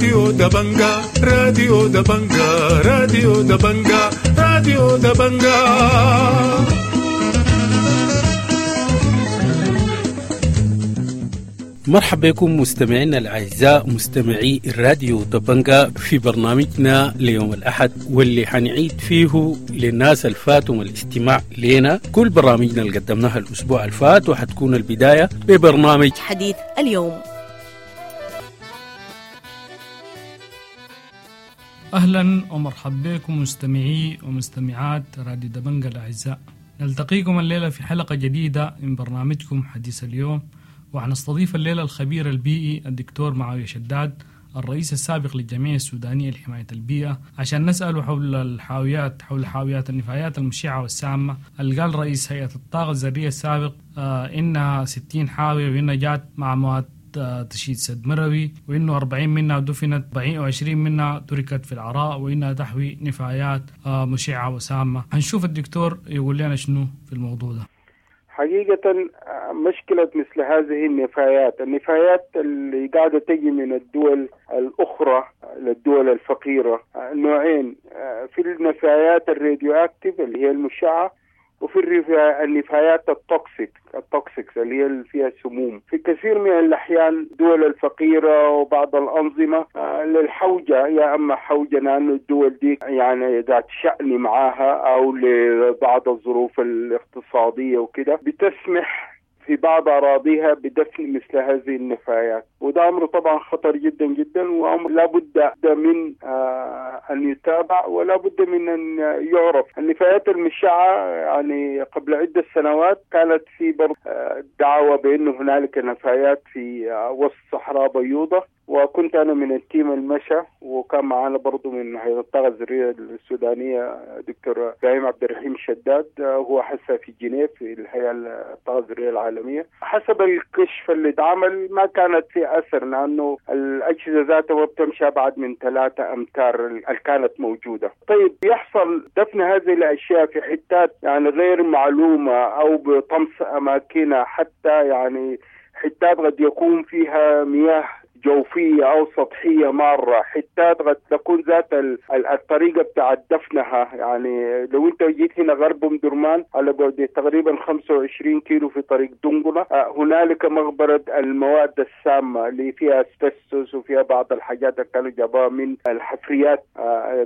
راديو دبنجا، راديو دبنجا، راديو دبنجا، راديو دبنجا. مرحبا بكم مستمعينا الأعزاء مستمعي الراديو دبنجا في برنامجنا ليوم الأحد، واللي حنعيد فيه للناس الفاتهم الاستماع لنا كل برامجنا اللي قدمناها الأسبوع الفات، وحتكون البداية ببرنامج حديث اليوم. أهلا ومرحبا بكم مستمعي ومستمعات راديو دبنجا الأعزاء، نلتقيكم الليلة في حلقة جديدة من برنامجكم حديث اليوم، وحنستضيف الليلة الخبير البيئي الدكتور معاوية شداد الرئيس السابق للجمعية السودانية لحماية البيئة، عشان نسأله حول الحاويات، حول حاويات النفايات المشعة والسامة اللي قال رئيس هيئة الطاقة الذرية السابق إنها 60 حاوية وإنها جات مع مواد تشييد سد مروي، وإنه 40 منها دفنت 20 منها تركت في العراء، وإنها تحوي نفايات مشعة وسامة. هنشوف الدكتور يقول لنا شنو في الموضوع ده. حقيقة مشكلة مثل هذه النفايات اللي قاعدة تجي من الدول الأخرى للدول الفقيرة نوعين، في النفايات ال radioactive اللي هي المشعة، وفي النفايات ال toxic اللي هي فيها سموم. في كثير من الأحيان الدول الفقيرة وبعض الأنظمة للحوجة، يا أما حوجة لأنه الدول دي يعني ذات شأن معاها أو لبعض الظروف الاقتصادية وكده، بتسمح في بعض أراضيها بدفن مثل هذه النفايات، وده أمر طبعا خطر جدا جدا، وأمر لا بد من أن يتابع ولا بد من أن يعرف. النفايات المشعة يعني قبل عدة سنوات كانت في دعوة بأنه هنالك نفايات في وسط صحراء بيوضة، وكنت أنا من ال team المشى، وكان معنا برضو من هيئة الطاقة الذرية السودانية دكتور إبراهيم عبد الرحيم شداد، هو حسا في جنيف في الهيئة الطاقة الذرية العالمية. حسب الكشف اللي اتعمل ما كانت في أثر، لأنه الأجهزة ذاتها ما بتمشي أبعد من 3 أمتار اللي كانت موجودة. طيب يحصل دفن هذه الأشياء في حتات يعني غير معلومة أو بطمس أماكنها، حتى يعني حتات قد يكون فيها مياه جوفية أو سطحية مارة، حتات قد تكون ذات الطريقة بتاعت دفنها. يعني لو أنت جيت هنا غرب أم درمان على بعد تقريبا 25 كيلو في طريق دنقلة، هنالك مغبرة المواد السامة اللي فيها اسبستوس وفيها بعض الحاجات اللي كانوا جابوها من الحفريات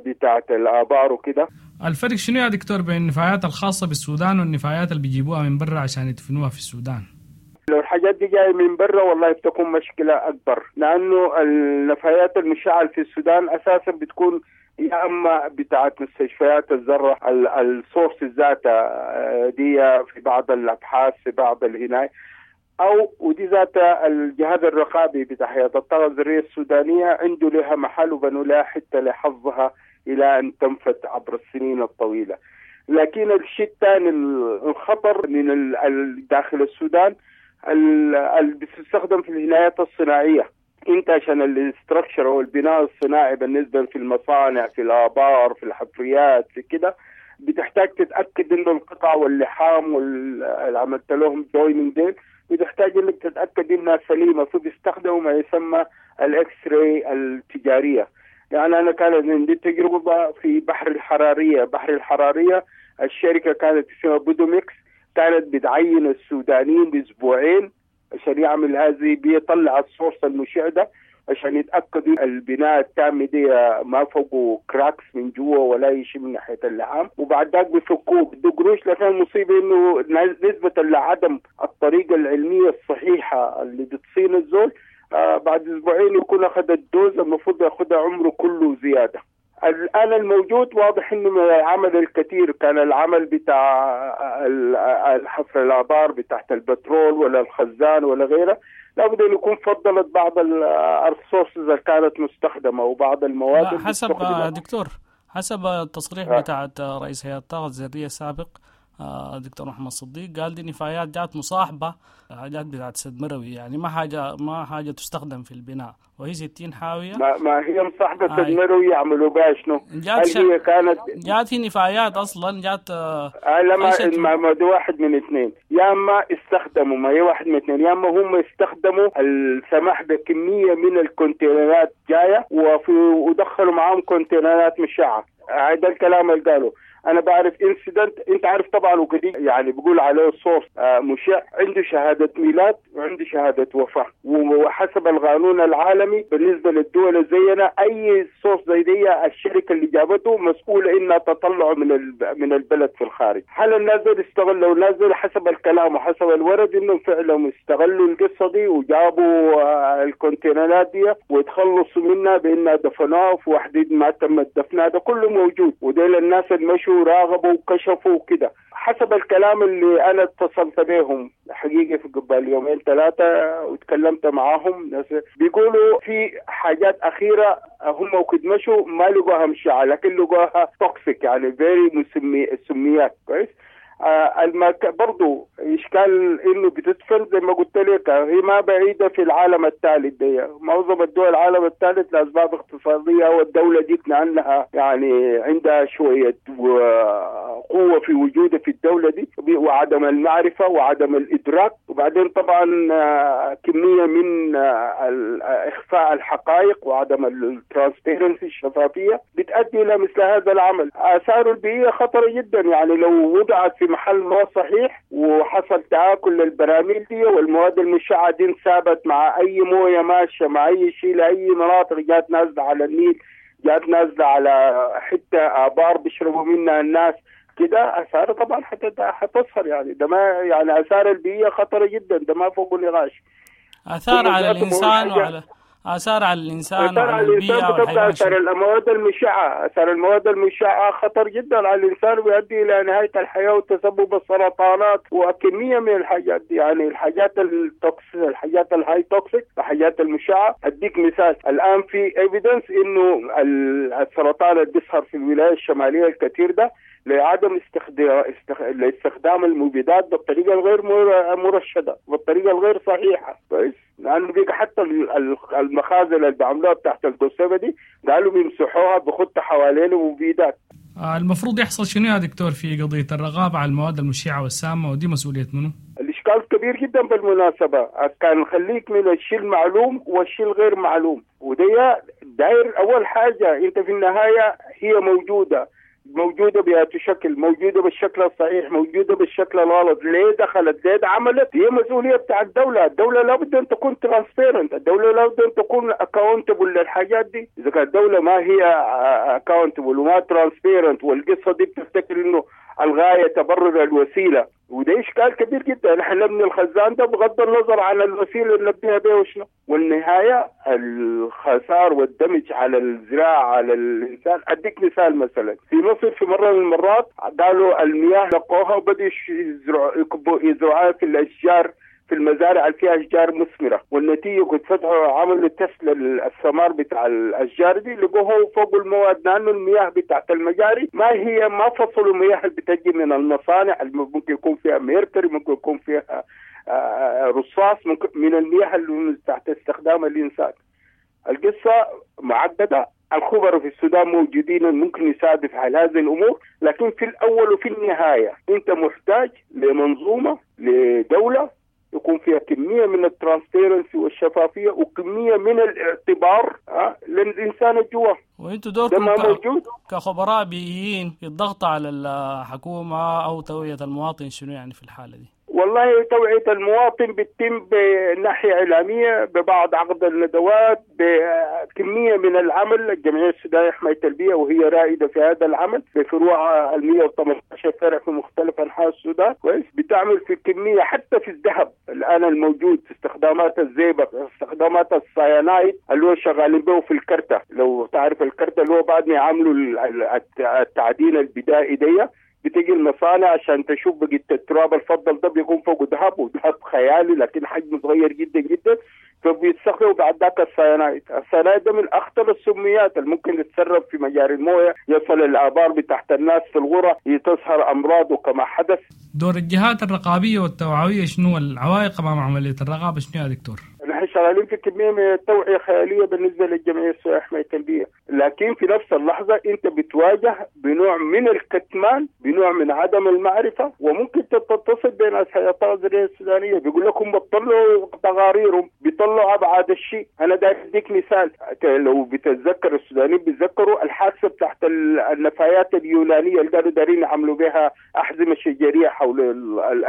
بتاعت الآبار وكده. الفرق شنو يا دكتور بين النفايات الخاصة بالسودان والنفايات اللي بيجيبوها من برا عشان يدفنوها في السودان؟ لو الحاجات دي جاية من برا والله بتكون مشكلة أكبر، لأنه النفايات المشعة في السودان أساسا بتكون يا أما بتاعت مستشفيات الذرة، ال source ذاتها دي في بعض الأبحاث في بعض الهناية، أو ودي ذاتها الجهاز الرقابي بتاع هيئة الطاقة الذرية السودانية عنده لها محل وبنوا لها حتى لحظها إلى أن تنفت عبر السنين الطويلة. لكن الشيء الثاني الخطر من داخل السودان اللي بتستخدم في الهنايات الصناعية. انت عشان ال structure او البناء الصناعي بالنسبة في المصانع في الآبار في الحفريات في كده، بتحتاج تتأكد انه القطع واللحام واللي عملت لهم joining ديل بتحتاج انك تتأكد انها سليمة، فبيستخدموا ما يسمى ال X-ray التجارية. يعني انا كانت عندي تجربة في بحر الحرارية، بحر الحرارية الشركة كانت اسمها بودوميكس، كانت بتعين السودانيين بأسبوعين عشان يعمل هذه، بيطلع ال source المشع ده عشان يتأكدوا البناء التام دي ما فوقه cracks من جوا ولا شيء من ناحية اللحام، وبعد ذاك بيفكوه بده قروش. لكن المصيبة إنه نسبة لعدم الطريقة العلمية الصحيحة اللي بتصين الزول، بعد أسبوعين يكون أخذ ال dose المفروض يأخذها عمره كله زيادة. الآن الموجود واضح إنه العمل الكثير كان العمل بتاع الحفر الآبار بتاعت البترول ولا الخزان ولا غيره، لابد أن يكون فضلت بعض ال sources اللي كانت مستخدمة وبعض المواد. حسب دكتور، حسب التصريح بتاعت رئيس هيئة الطاقة الذرية السابق دكتور محمد صديق قال دي نفايات جات مصاحبة حاجات بتاعت سد مروي، يعني ما حاجة تستخدم في البناء، وهي 60 حاوية. ما هي مصاحبة سد مروي يعملوا بها شنو؟ هل هي كانت جات في نفايات أصلا جات؟ لا، ما ده واحد من اثنين، يا اما استخدموا، ما هي واحد من اثنين، يا اما هم استخدموا السماح بكمية من الكونتينرات جاية ودخلوا معاهم كونتينرات مشعة. هذا الكلام اللي قالوا. انا بعرف incident، انت عارف طبعا وكدي يعني بيقول عليه source مشع، عنده شهادة ميلاد وعنده شهادة وفاه، وحسب القانون العالمي بالنسبة للدول زينا اي source زي دي الشركة اللي جابته مسؤولة انها تطلعه من البلد في الخارج. هل الناس دول استغلوا؟ الناس دول حسب الكلام وحسب الورد انهم فعلا استغلوا القصة دي وجابوا الكونتينرات دي وتخلصوا منها بانها دفنوها في وحده ما تم دفنها، ده كله موجود. وديل الناس اللي مشوا راغبوا وكشفوا وكده. حسب الكلام اللي انا اتصلت بهم حقيقة في قبل يومين ثلاثة وتكلمت معاهم، ناس بيقولوا في حاجات اخيرة هم وكد مشوا ما لقوها مشعه، لكن لقوها toxic، يعني very سميات. كويس. برضو إشكال إنه بتدفن زي ما قلت لك، هي ما بعيدة في العالم الثالث دي، معظم الدول العالم الثالث لأسباب اقتصادية، والدولة دي لأنها يعني عندها شوية قوة في وجودها في الدولة دي، وعدم المعرفة وعدم الإدراك، وبعدين طبعا كمية من إخفاء الحقائق وعدم ال transparency الشفافية بتؤدي إلى مثل هذا العمل. آثاره البيئية خطرة جدا، يعني لو وضعت في محل ما صحيح وحصل تآكل للبراميل دي والمواد المشعة دي انسابت مع أي موية ماشية مع أي شيء لأي مناطق، جات نازلة على النيل، جات نازلة على حتة آبار بيشربوا منها الناس كده، آثار طبعا حتظهر. يعني ده ما يعني آثار البيئية خطرة جدا، ده ما فوق النقاش. آثار على الإنسان وعلى آثار على الإنسان وعلى البيئة والحيوان. آثار المواد المشعة، آثار المواد المشعة خطر جدا على الإنسان ويؤدي إلى نهاية الحياة وتسبب السرطانات وكمية من الحاجات دي. يعني الحاجات ال toxic، الحاجات ال high toxic، الحاجات المشعة. أديك مثال، الآن في evidence إنه السرطان اللي بيظهر في الولاية الشمالية الكثير ده لعدم استخدام المبيدات بالطريقة الغير مرشده، بالطريقة الغير صحيحه. كويس، لانه بيجي حتى المخازن اللي بيعملوها تحت القصبة دي قالوا بيمسحوها بخط حوالين مبيدات. المفروض يحصل شنو يا دكتور في قضية الرقابة على المواد المشعه والسامه، ودي مسؤولية منو؟ الاشكال كبير جدا بالمناسبة، كان خليك من الشيء المعلوم والشيء الغير معلوم، ودي داير اول حاجة انت في النهاية هي موجودة بأي شكل، موجودة بالشكل الصحيح، موجودة بالشكل الغلط، ليه دخلت، ليه عملت، هي مسؤولية بتاع الدولة. الدولة لابد أن تكون transparent، الدولة لابد أن تكون accountable للحاجات دي. إذا كانت الدولة ما هي accountable وما transparent، والقصة دي بتفتكر إنه الغاية تبرر الوسيلة، وده إشكال كبير جدا. نحن نبني الخزان ده بغض النظر عن الوسيلة اللي نبنيها بها وشنو، والنهاية الخسار والدمج على الزراعة على الإنسان. أديك مثال، مثلا في مصر في مرة من المرات قالوا المياه لقوها وبدأوا يزرعوها في الأشجار، في المزارع اللي فيها أشجار مثمرة، والنتيجة كنت فتحوا عملوا تست للثمار بتاع الأشجار دي لقوه فوق المواد، لأنه المياه بتاعت المجاري ما هي ما فصلوا المياه اللي بتجي من المصانع اللي ممكن يكون فيها ميركوري، ممكن يكون فيها رصاص، ممكن من المياه اللي تحت استخدام الإنسان. القصة معقدة، الخبراء في السودان موجودين ممكن يساعدوا في حل هذه الأمور، لكن في الأول وفي النهاية أنت محتاج لمنظومة، لدولة يكون فيها كمية من ال transparency والشفافية وكمية من الاعتبار للإنسان الجوا. وانتوا دوركم كخبراء بيئيين في الضغط على الحكومة أو توعية المواطن شنو يعني في الحالة دي؟ والله توعية المواطن بتتم بناحية إعلامية، ببعض عقد الندوات، بكمية من العمل. الجمعية السودانية لحماية البيئة وهي رائدة في هذا العمل بفروع 118 فرع في مختلف أنحاء السودان، كويس، بتعمل في كمية حتى في الذهب الآن الموجود في استخدامات الزئبق، استخدامات السيانايد اللي هو شغالين به في الكرتة، لو تعرف الكرتة اللي هو بعد ما يعملوا التعدين البدائي دي بتيجي المصانع عشان تشوف بقية التراب الفضل ده بيكون فوق ذهب، وذهب خيالي لكن حجمه صغير جدا جدا. فبيستخدموا بعد ذاك السيانايد. السيانايد ده من اخطر السميات اللي ممكن يتسرب في مجاري المويه، يصل الابار بتحت الناس في الغرة، تظهر امراض كما حدث. دور الجهات الرقابية والتوعويه شنو؟ العوائق امام عملية الرقابة شنو يا دكتور؟ نحن شغالين في كمية من التوعية خيالية بالنسبة للجمعية السورية حماية البيئة، لكن في نفس اللحظة انت بتواجه بنوع من الكتمان، بنوع من عدم المعرفة، وممكن تتصل بين هيئة الطاقة الذرية السودانية بيقول لك هم بيطلعوا تقاريرهم، بيطلعوا ابعاد الشيء. انا داير اديك مثال، لو بتتذكر السودانيين بيتذكروا الحادثة بتاعت النفايات اليونانية اللي قالوا دارين يعملوا بها احزمة شجريه حول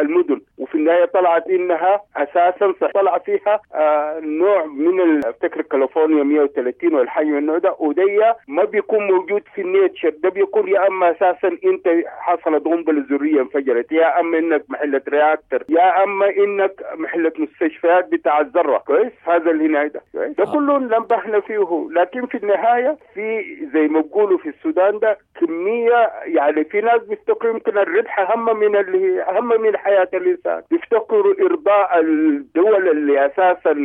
المدن، وفي النهاية طلعت انها اساسا طلع فيها نوع من افتكر كاليفورنيا 130 والحاجة من النوع ده، ودي ما بيكون موجود في ال nature، ده بيكون يا اما اساسا انت حصلت قنبلة ذرية انفجرت، يا اما انك محله reactor، يا اما انك محله مستشفيات بتاع الذرة. كويس، هذا اللي هنا ده ده كله نبهنا فيه. لكن في النهاية في زي ما بيقولوا في السودان ده كمية، يعني في ناس بيفتكروا يمكن الربح اهم من اللي اهم من حياة الانسان، بيفتكروا ارضاء الدول اللي اساسا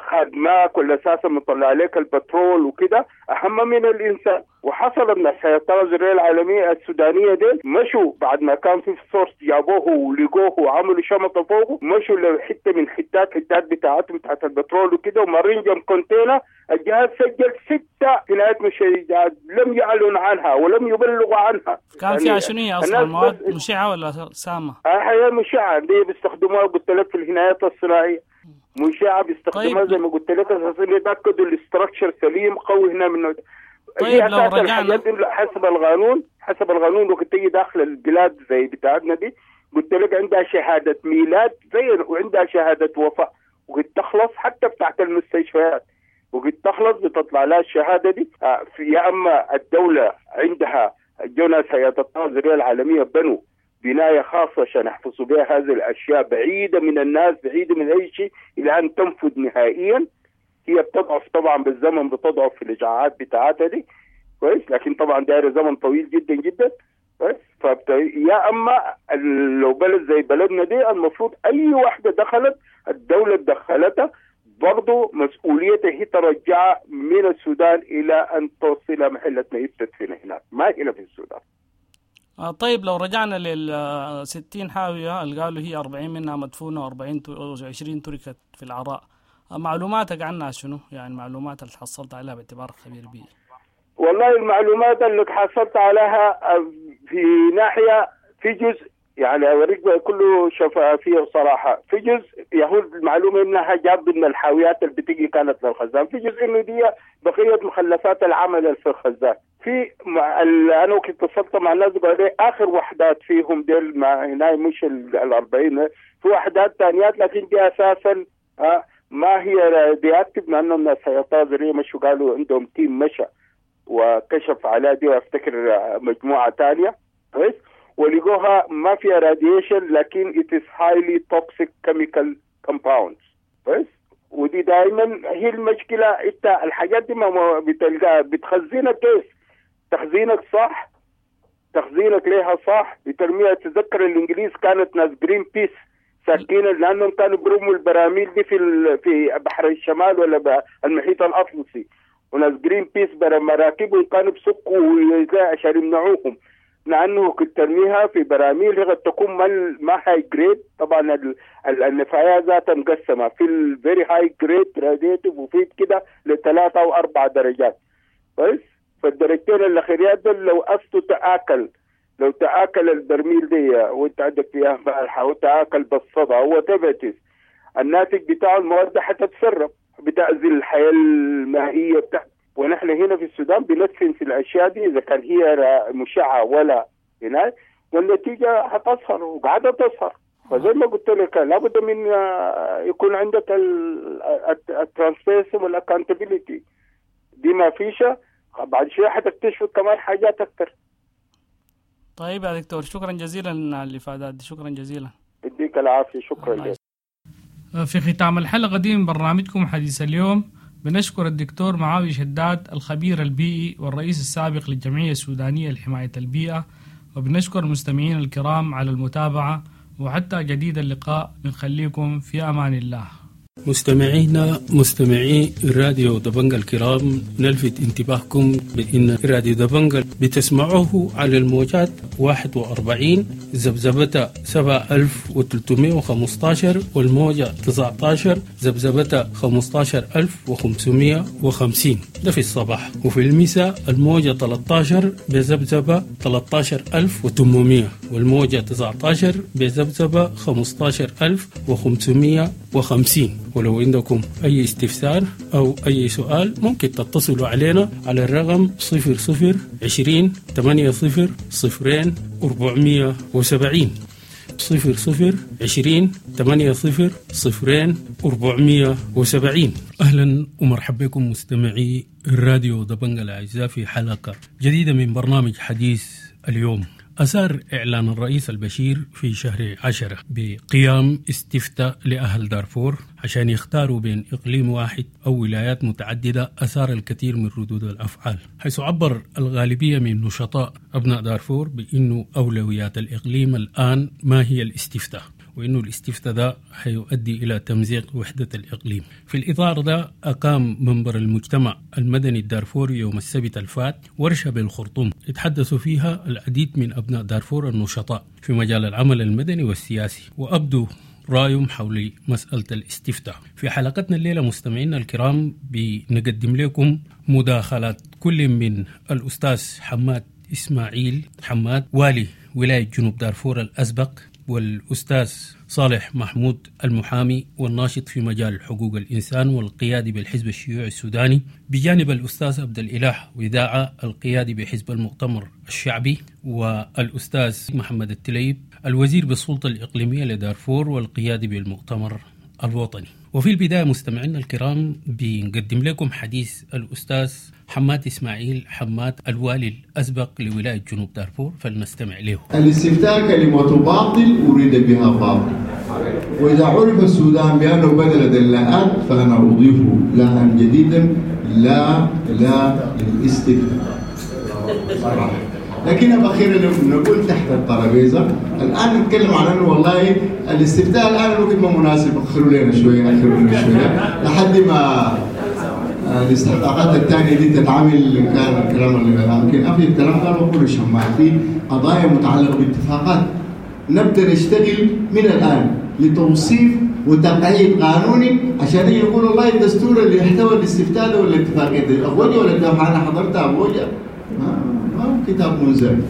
خادماك ولا اساسا مطلع عليك البترول وكده اهم من الانسان. وحصل ان هيئة الطاقة الذرية العالمية السودانية دي مشوا بعد ما كان في source جابوه ولقوه وعملوا شمطه فوقه، مشوا لحته من حتات بتاعتهم بتاعت البترول وكده، ومارين جنب container، الجهاز سجل 6 جنايات مشيجات لم يعلن عنها ولم يبلغوا عنها. كان فيها شنو هي اصلا؟ مواد مشعه ولا سامة؟ هي مشعه، دي بيستخدموها قلت لك في الهنايات الصناعية، مشعه بيستخدموها. طيب. زي ما قلت لك اساسا يتاكدوا ال structure سليم قوي هنا من. طيب لو رجعنا حسب القانون، حسب القانون وقت تيجي داخل البلاد زي بتاعتنا دي قلت لك عندها شهادة ميلاد زي وعندها شهادة وفاه، وقت تخلص حتى بتاعت المستشفيات وقت تخلص بتطلع لها الشهادة دي. يا اما الدولة عندها جوناس هيئة الطاقة الذرية العالمية بنوا بناية خاصة عشان يحفظوا بها هذه الاشياء بعيدة من الناس، بعيدة من اي شيء، الى ان تنفذ نهائيا. هي بتضعف طبعا بالزمن، بتضعف في الاشعاعات بتاعتها دي كويس، لكن طبعا دايرة زمن طويل جدا جدا كويس. يا اما لو بلد زي بلدنا دي المفروض اي واحدة دخلت الدولة دخلتها برضه مسؤوليتها هي ترجعها من السودان الى ان توصل محله ما يدفن هناك، ما هنا في السودان. طيب لو رجعنا لل 60 حاوية اللي قالوا هي 40 منها مدفونة و20 تركت في العراء، معلوماتك عنها شنو؟ يعني المعلومات اللي حصلت عليها باعتبارك خبير بيئي. والله المعلومات اللي حصلت عليها في ناحية، في جزء يعني أوريك كله شفافية وصراحة، في جزء يهود المعلومة إنها جاب من الحاويات اللي بتيجي كانت للخزان، في جزء إنه دي بقية مخلفات العمل في الخزان. في أنا كنت اتصلت مع الناس قالوا لي آخر وحدات فيهم ديل ما هنا مش ال40، في وحدات ثانيات لكن دي أساسا ما هي radioactive، لأنه الناس هيئة الطاقة الذرية مشوا قالوا عندهم team مشى وكشف على دي، وافتكر مجموعة ثانية كويس، ولقوها ما فيها radiation لكن it is highly toxic chemical compounds كويس. ودي دائما هي المشكلة، انت الحاجات دي ما بتلقاها، بتخزينك كيف؟ تخزينك صح، تخزينك ليها صح، بترميها. تذكر الانجليز كانت ناس جرين بيس ساكين لانهم كانوا بيرموا البراميل دي في بحر الشمال ولا المحيط الاطلسي، وناس جرين بيس مراكبهم كانوا بسقوا عشان يمنعوهم، لانه كنت ترميها في براميل هي قد تكون ما high grade. طبعا النفايات ذاتها مقسمة في ال very high grade radiative وفي كده لثلاثة او 4 درجات كويس. فالدرجتين الاخيريات دول لو اصله تاكل، لو تاكل البرميل دي وانت عندك فيها مالحة وتاكل بالصدى وتبتس الناتج بتاعه المواد حتتسرب، بتاذي الحياة المائية بتاعت. ونحن هنا في السودان بندفن في الاشياء دي اذا كان هي مشعه ولا هناك، والنتيجة حتظهر وقاعدة تظهر. فزي ما قلت لك لابد من يكون عندك ال transparency وال accountability دي، ما فيش بعد شوية حتكتشف كمان حاجات اكثر. طيب يا دكتور، شكرا جزيلا على الافادات دي، شكرا جزيلا. يديك العافية، شكرا لك. في ختام الحلقة دي من برنامجكم حديث اليوم بنشكر الدكتور معاوية شداد الخبير البيئي والرئيس السابق للجمعية السودانية لحماية البيئة، وبنشكر المستمعين الكرام على المتابعة، وحتى جديد اللقاء بنخليكم في أمان الله. مستمعينا مستمعي راديو دبنجا الكرام، نلفت انتباهكم بأن راديو دبنجا بتسمعوه على الموجات 41 ذبذبة 7315 والموجة 19 ذبذبة 15550، ده في الصباح، وفي المساء الموجة 13 بذبذبة 13800 والموجة 19 بذبذبة 15550. ولو عندكم أي استفسار أو أي سؤال ممكن تتصلوا علينا على الرقم 00 20 80 0 470، 00 20 80 0 470. أهلا ومرحبا بكم مستمعي الراديو دبنجا الأعزاء في حلقة جديدة من برنامج حديث اليوم. أثار إعلان الرئيس البشير في شهر 10 بقيام استفتاء لأهل دارفور عشان يختاروا بين إقليم واحد أو ولايات متعددة أثار الكثير من ردود الأفعال، حيث عبر الغالبية من نشطاء أبناء دارفور بأنه أولويات الإقليم الآن ما هي الاستفتاء، وإنه الاستفتاء ده حيؤدي إلى تمزيق وحدة الإقليم. في الإطار ده أقام منبر المجتمع المدني الدارفوري يوم السبت الفات ورشة بالخرطوم اتحدثوا فيها العديد من أبناء دارفور النشطاء في مجال العمل المدني والسياسي، وأبدوا رأيهم حول مسألة الاستفتاء. في حلقتنا الليلة مستمعينا الكرام بنقدم لكم مداخلات كل من الأستاذ حماد إسماعيل حماد والي ولاية جنوب دارفور الأسبق، والأستاذ صالح محمود المحامي والناشط في مجال حقوق الإنسان والقيادي بالحزب الشيوعي السوداني، بجانب الأستاذ عبد الإله وداعة القيادي بحزب المؤتمر الشعبي، والأستاذ محمد التليب الوزير بالسلطة الإقليمية لدارفور والقيادي بالمؤتمر الوطني. وفي البداية مستمعينا الكرام بنقدم لكم حديث الأستاذ حماد إسماعيل حماد الوالي الأسبق لولاية جنوب دارفور، فلنستمع له. الاستفتاء كلمة باطل أريد بها باطل، وإذا عرف السودان بأنه بدل اللاءات فأنا أضيف لاء جديدا، لا لا للاستفتاء صراحة. لكن أخيرا نقول تحت الترابيزة الآن نتكلم عن أنه والله الاستفتاء الآن الوقت ما مناسب، أخروا لنا شوية أخروا لنا شوية لحد ما الاستحقاقات الثانية دي تتعامل. كان الكلام اللي يمكن أفي الكلام قالوا كل شماعة في قضايا متعلقة باتفاقات نبدأ نشتغل من الآن لتوصيف وتقعيد قانوني عشان يقول والله الدستور اللي يحتوي الاستفتاء ده ولا الاتفاقية دي أبوجة ولا الدوحة. أنا حضرتها أبوجة ما هو كتاب منزل.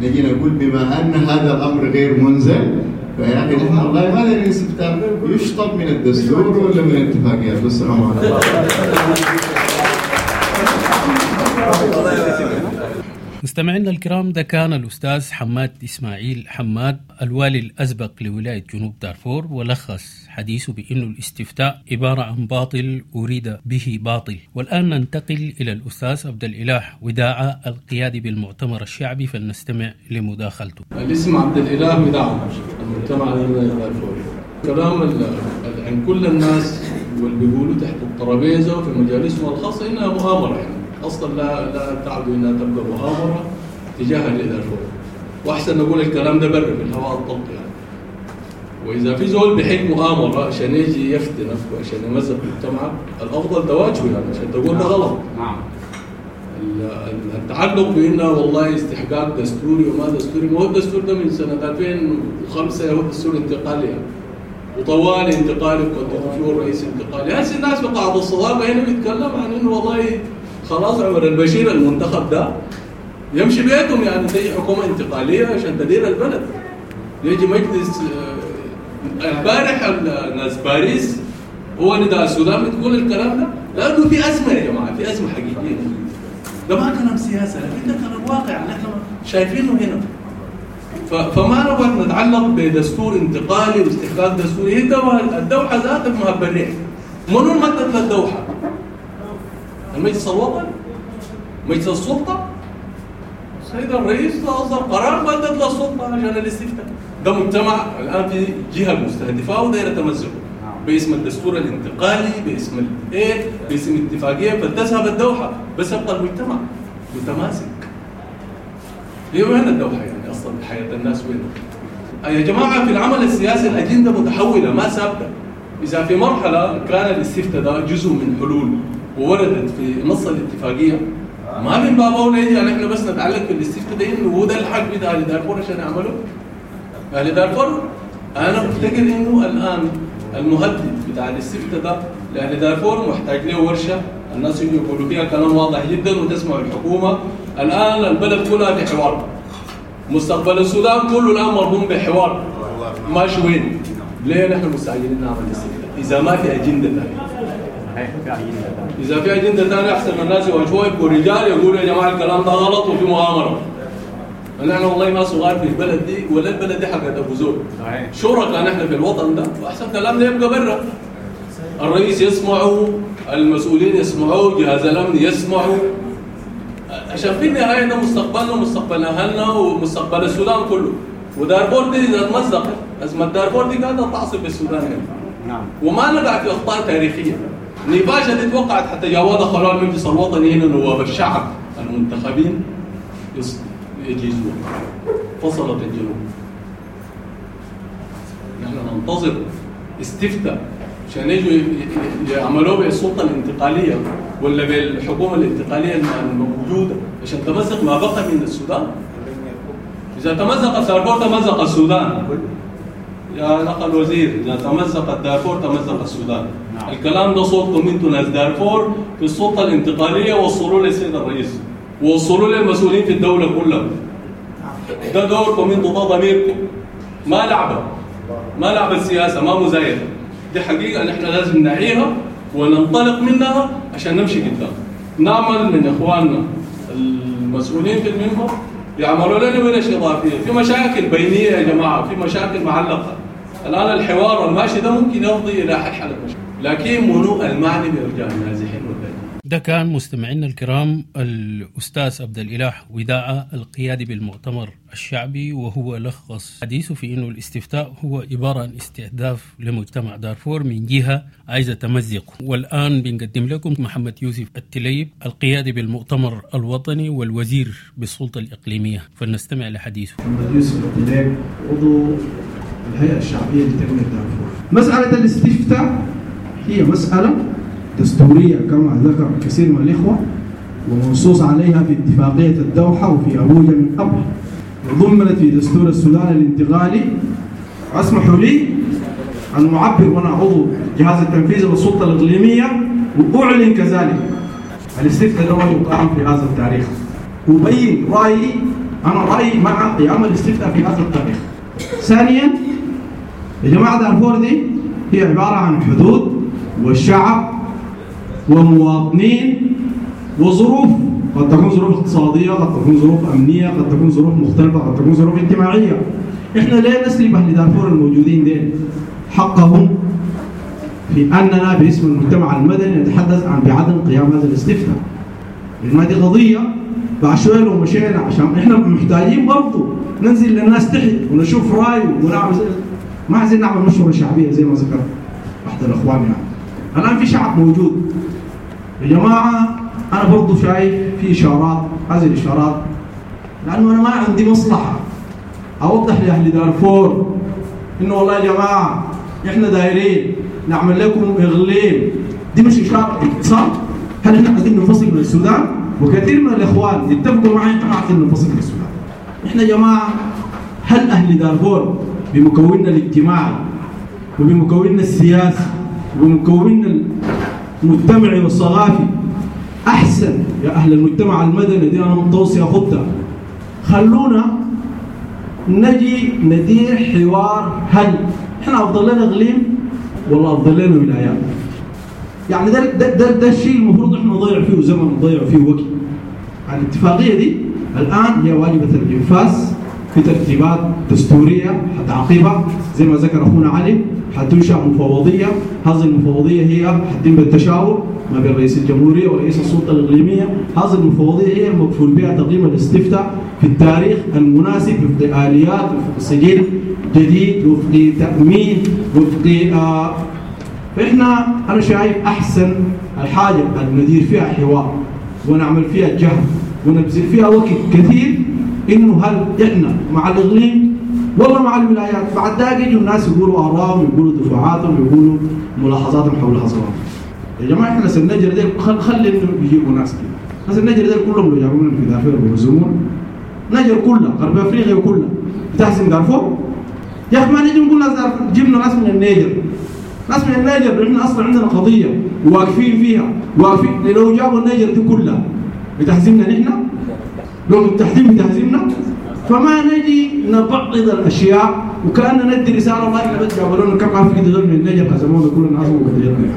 نجي نقول بما أن هذا الأمر غير منزل فيا أخي نحن والله ما لنا الاستفتاء يشطب من الدستور ولا من الاتفاقيات. والسلام عليكم. مستمعينا الكرام، ده كان الأستاذ حماد إسماعيل حماد الوالي الأسبق لولاية جنوب دارفور، ولخص حديثه بأنه الاستفتاء عبارة عن باطل أريد به باطل. والآن ننتقل إلى الأستاذ عبد الإله وداعة القيادي بالمؤتمر الشعبي، فلنستمع لمداخلته. الاسم عبد الإله وداعة، المجتمع المدني الدارفوري. كلام عن كل الناس واللي بيقولوا تحت الترابيزة وفي مجالسهم الخاصة إنها مؤامرة، يعني اصلا لا تعدو انها تبقى مؤامرة تجاه دارفور، واحسن نقول الكلام ده بر في الهواء الطلق يعني. واذا في زول بيحب مؤامرة عشان يجي يفتنك وعشان يمزق مجتمعك، الافضل تواجهه يعني عشان تقول ده غلط. نعم. التعلق بانه والله استحقاق دستوري وما دستوري، ما هو الدستور ده من سنة 2005 هو دستور انتقالي يعني. وطوال انتقالي وقدموا فيه الرئيس انتقالي. هسه الناس في قاعة الصداقة هنا بيتكلم عن انه والله خلاص عمر البشير المنتخب ده يمشي بيتهم، يعني تيجي حكومة انتقالية عشان تدير البلد. يجي مجلس البارح الناس باريس هو نداء السودان بتقول الكلام ده لأنه في أزمة يا جماعة، في أزمة حقيقية. ده ما كلام سياسة، لكن ده كلام واقع نحن شايفينه هنا. فما نبغى نتعلق بدستور انتقالي واستحقاق دستوري. هي الدوحة ذاتها مهب الريح. منو المدد للدوحة؟ المجلس الوطني؟ مجلس السلطة؟ السيد الرئيس أصدر قرار مدد للسلطة عشان الاستفتاء. ده مجتمع الآن في جهة مستهدفة ودايرة تمزقه باسم الدستور الانتقالي، باسم الايه، باسم اتفاقية، فلتذهب الدوحة، بس يبقى المجتمع متماسك. هي وين الدوحة يعني أصلا حياة الناس وين؟ يا جماعة في العمل السياسي الأجندة متحولة ما ثابتة. اذا في مرحلة كان الاستفتاء ده جزء من حلول ووردت في نص الاتفاقية، ما من باب اولى يجي نحن بس نتعلق في الاستفتاء ده انه هو ده الحق بتاع اهل دارفور عشان يعملوا. اهل دارفور انا بفتكر انه الان المهدد بتاع الاستفتاء ده لاهل دارفور محتاج له ورشه، الناس يجوا يقولوا فيها كلام واضح جدا وتسمع الحكومة. الان البلد كلها في حوار، مستقبل السودان كله الان مرهون بحوار، ماشي وين؟ ليه نحن مستعجلين نعمل الاستفتاء؟ اذا ما في اجندة ثانية. اذا في اجندة ثانية احسن الناس يواجهوها، يبقوا رجال يقولوا يا جماعة الكلام ده غلط وفي مؤامرة. نحن والله ما صغار في البلد دي، ولا البلد دي حقت ابو زول. شركاء نحن في الوطن ده، واحسن كلام يبقى برا. الرئيس يسمعوا، المسؤولين يسمعوا، جهاز الامن يسمعوا، عشان في النهاية ده مستقبلنا ومستقبل اهلنا ومستقبل السودان كله. ودارفور دي اذا تمزقت، ازمة دارفور دي قاعدة تعصف بالسودان هنا. نعم. وما نقع في اخطاء تاريخية. نيفاشا دي توقعت حتى جاوا دخلوا المجلس الوطني هنا نواب الشعب المنتخبين يجيزوها. فصلت الجنوب. نحن ننتظر استفتاء عشان يجوا يعملوه بالسلطة الانتقالية ولا بالحكومة الانتقالية الموجودة عشان تمزق ما بقى من السودان. اذا تمزق دارفور تمزق السودان. يا الاخ الوزير، اذا تمزق دارفور تمزق السودان. نعم. الكلام ده صوتكم انتم ناس دارفور في السلطة الانتقالية، وصلوا للسيد الرئيس، وصلوا للمسؤولين في الدولة كلها. ده دوركم انتم، ده ضميركم. ما لعبه، ما لعبه سياسة، ما مزايده. دي حقيقة نحن لازم نعيها وننطلق منها عشان نمشي قدام. نعمل من اخواننا المسؤولين في المنبر يعملوا لنا ورش اضافية، في مشاكل بينيه يا جماعة، في مشاكل معلقه. الان الحوار الماشي ده ممكن يفضي الى حل المشاكل، لكن منو المعني بارجاع النازحين واللاجئين؟ ده كان مستمعينا الكرام الأستاذ عبد الإله وداعة القيادي بالمؤتمر الشعبي، وهو لخص حديثه في أنه الاستفتاء هو عبارة عن استهداف لمجتمع دارفور من جهة عايزة تمزقه. والآن بنقدم لكم محمد يوسف التليب القيادي بالمؤتمر الوطني والوزير بالسلطة الإقليمية، فلنستمع لحديثه. محمد يوسف التليب عضو الهيئة الشعبية لتنمية دارفور. مسألة الاستفتاء هي مسألة دستورية كما ذكر كثير من الإخوة، ومنصوص عليها في اتفاقية الدوحة وفي أبوجا من قبل، وضمنت في دستور السودان الانتقالي. أسمحوا لي أن أعبر وأنا عضو جهاز التنفيذي للسلطة الإقليمية وأعلن كذلك الاستفتاء ده يقام في هذا التاريخ، وبين رأيي، أنا رأيي مع قيام الاستفتاء في هذا التاريخ. ثانيا يا جماعة، دارفور دي هي عبارة عن حدود والشعب ومواطنين وظروف، قد تكون ظروف اقتصادية، قد تكون ظروف أمنية، قد تكون ظروف مختلفة، قد تكون ظروف اجتماعية. إحنا ليه نسلب أهل دارفور الموجودين دين حقهم في أننا باسم المجتمع المدني نتحدث عن بعدم قيام هذا الاستفتاء؟ لأن هذه قضية بعد شوية لو مشينا، عشان إحنا محتاجين برضه ننزل للناس تحت ونشوف رأيه ونعمل، ما عايزين نعمل مشورة شعبية زي ما ذكر أحد الأخوان. يعني الآن في شعب موجود يا جماعة، أنا برضو شايف في إشارات، هذه الإشارات لأنه أنا ما عندي مصلحة أوضح لأهل دارفور إنه والله يا جماعة إحنا دايرين نعمل لكم إغليم، دي مش إشارة اتصال. هل إحنا عايزين ننفصل من السودان؟ وكثير من الإخوان يتفقوا معي إحنا عايزين ننفصل من السودان. إحنا يا جماعة هل أهل دارفور بمكوننا الاجتماعي وبمكوننا السياسي وبمكوننا المجتمعي والثقافي أحسن يا أهل المجتمع المدني؟ دي أنا متوصي أخدها. خلونا نجي ندير حوار، هل إحنا أفضل لنا إقليم ولا أفضل لنا ولايات؟ يعني ده ده ده, ده الشيء المفروض إحنا نضيع فيه زمن ونضيع فيه وقت. الاتفاقية دي الآن هي واجبة الإنفاذ في ترتيبات دستورية حتعقبها زي ما ذكر أخونا علي، حتنشأ مفوضية، هذه المفوضية هي حتتم بالتشاور ما بين رئيس الجمهورية ورئيس السلطة الإقليمية. هذه المفوضية هي المكفول بها تقييم الاستفتاء في التاريخ المناسب وفق آليات، وفق سجل جديد، وفق تأمين، وفق فإحنا أنا شايف أحسن الحاجة اللي ندير فيها حوار ونعمل فيها جهد ونبذل فيها وقت كثير، إنه هل إحنا مع الإقليم والله مع الولايات. بعد ذاك يجوا الناس يقولوا ارائهم، يقولوا دفاعاتهم، يقولوا ملاحظاتهم حول هذا. يا جماعة احنا ناس النجر ديل خلي انه يجيبوا ناس كده، ناس النجر ديل كلهم لو جابوا لنا في دارفور بيهزمون نجر كلها، غرب افريقيا كلها بتحسن دارفور. يا اخي ما نجي نقول ناس دارفور، جبنا ناس من النيجر، ناس من النيجر احنا اصلا عندنا قضية واقفين فيها، واقفين. لو جابوا النيجر دي كلها بتحزمنا نحن؟ لو التحزيم بتحزمنا؟ فما نجي نبعض الاشياء وكأننا ندي رسالة والله احنا بس جابوا لنا كم عارف كده من النيجر هزمونا كلنا الناس وقدرنا،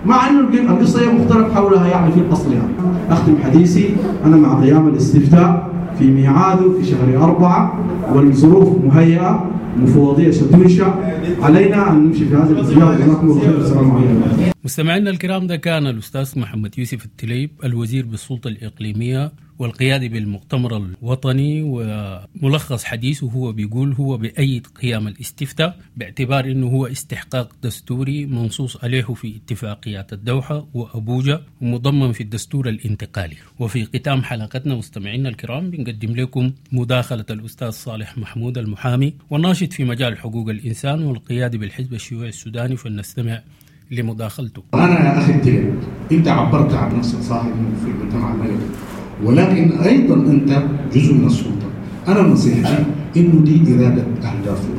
مع انه القصة هي مختلف حولها يعني في الاصل. يعني اختم حديثي انا مع قيام الاستفتاء في ميعاده في شهر 4، والظروف مهيئة، مفوضيه ستنشا، علينا ان نمشي في هذا الاتجاه. جزاكم الله خير، السلام عليكم. مستمعينا الكرام، ده كان الأستاذ محمد يوسف التليب، الوزير بالسلطة الإقليمية والقيادي بالمؤتمر الوطني، وملخص حديثه هو بيقول هو بأيد قيام الاستفتاء باعتبار أنه هو استحقاق دستوري منصوص عليه في اتفاقيات الدوحة وأبوجا ومضمن في الدستور الانتقالي. وفي ختام حلقتنا مستمعينا الكرام بنقدم لكم مداخلة الأستاذ صالح محمود المحامي والناشط في مجال حقوق الإنسان والقيادي بالحزب الشيوعي السوداني، فلنستمع لمداخلته. أنا يا أخي التليب، أنت عبرت عن نفسك صاحب في المجتمع المدني، ولكن أيضا أنت جزء من السلطة. أنا نصيحتي إنه دي إرادة أهل دارفور.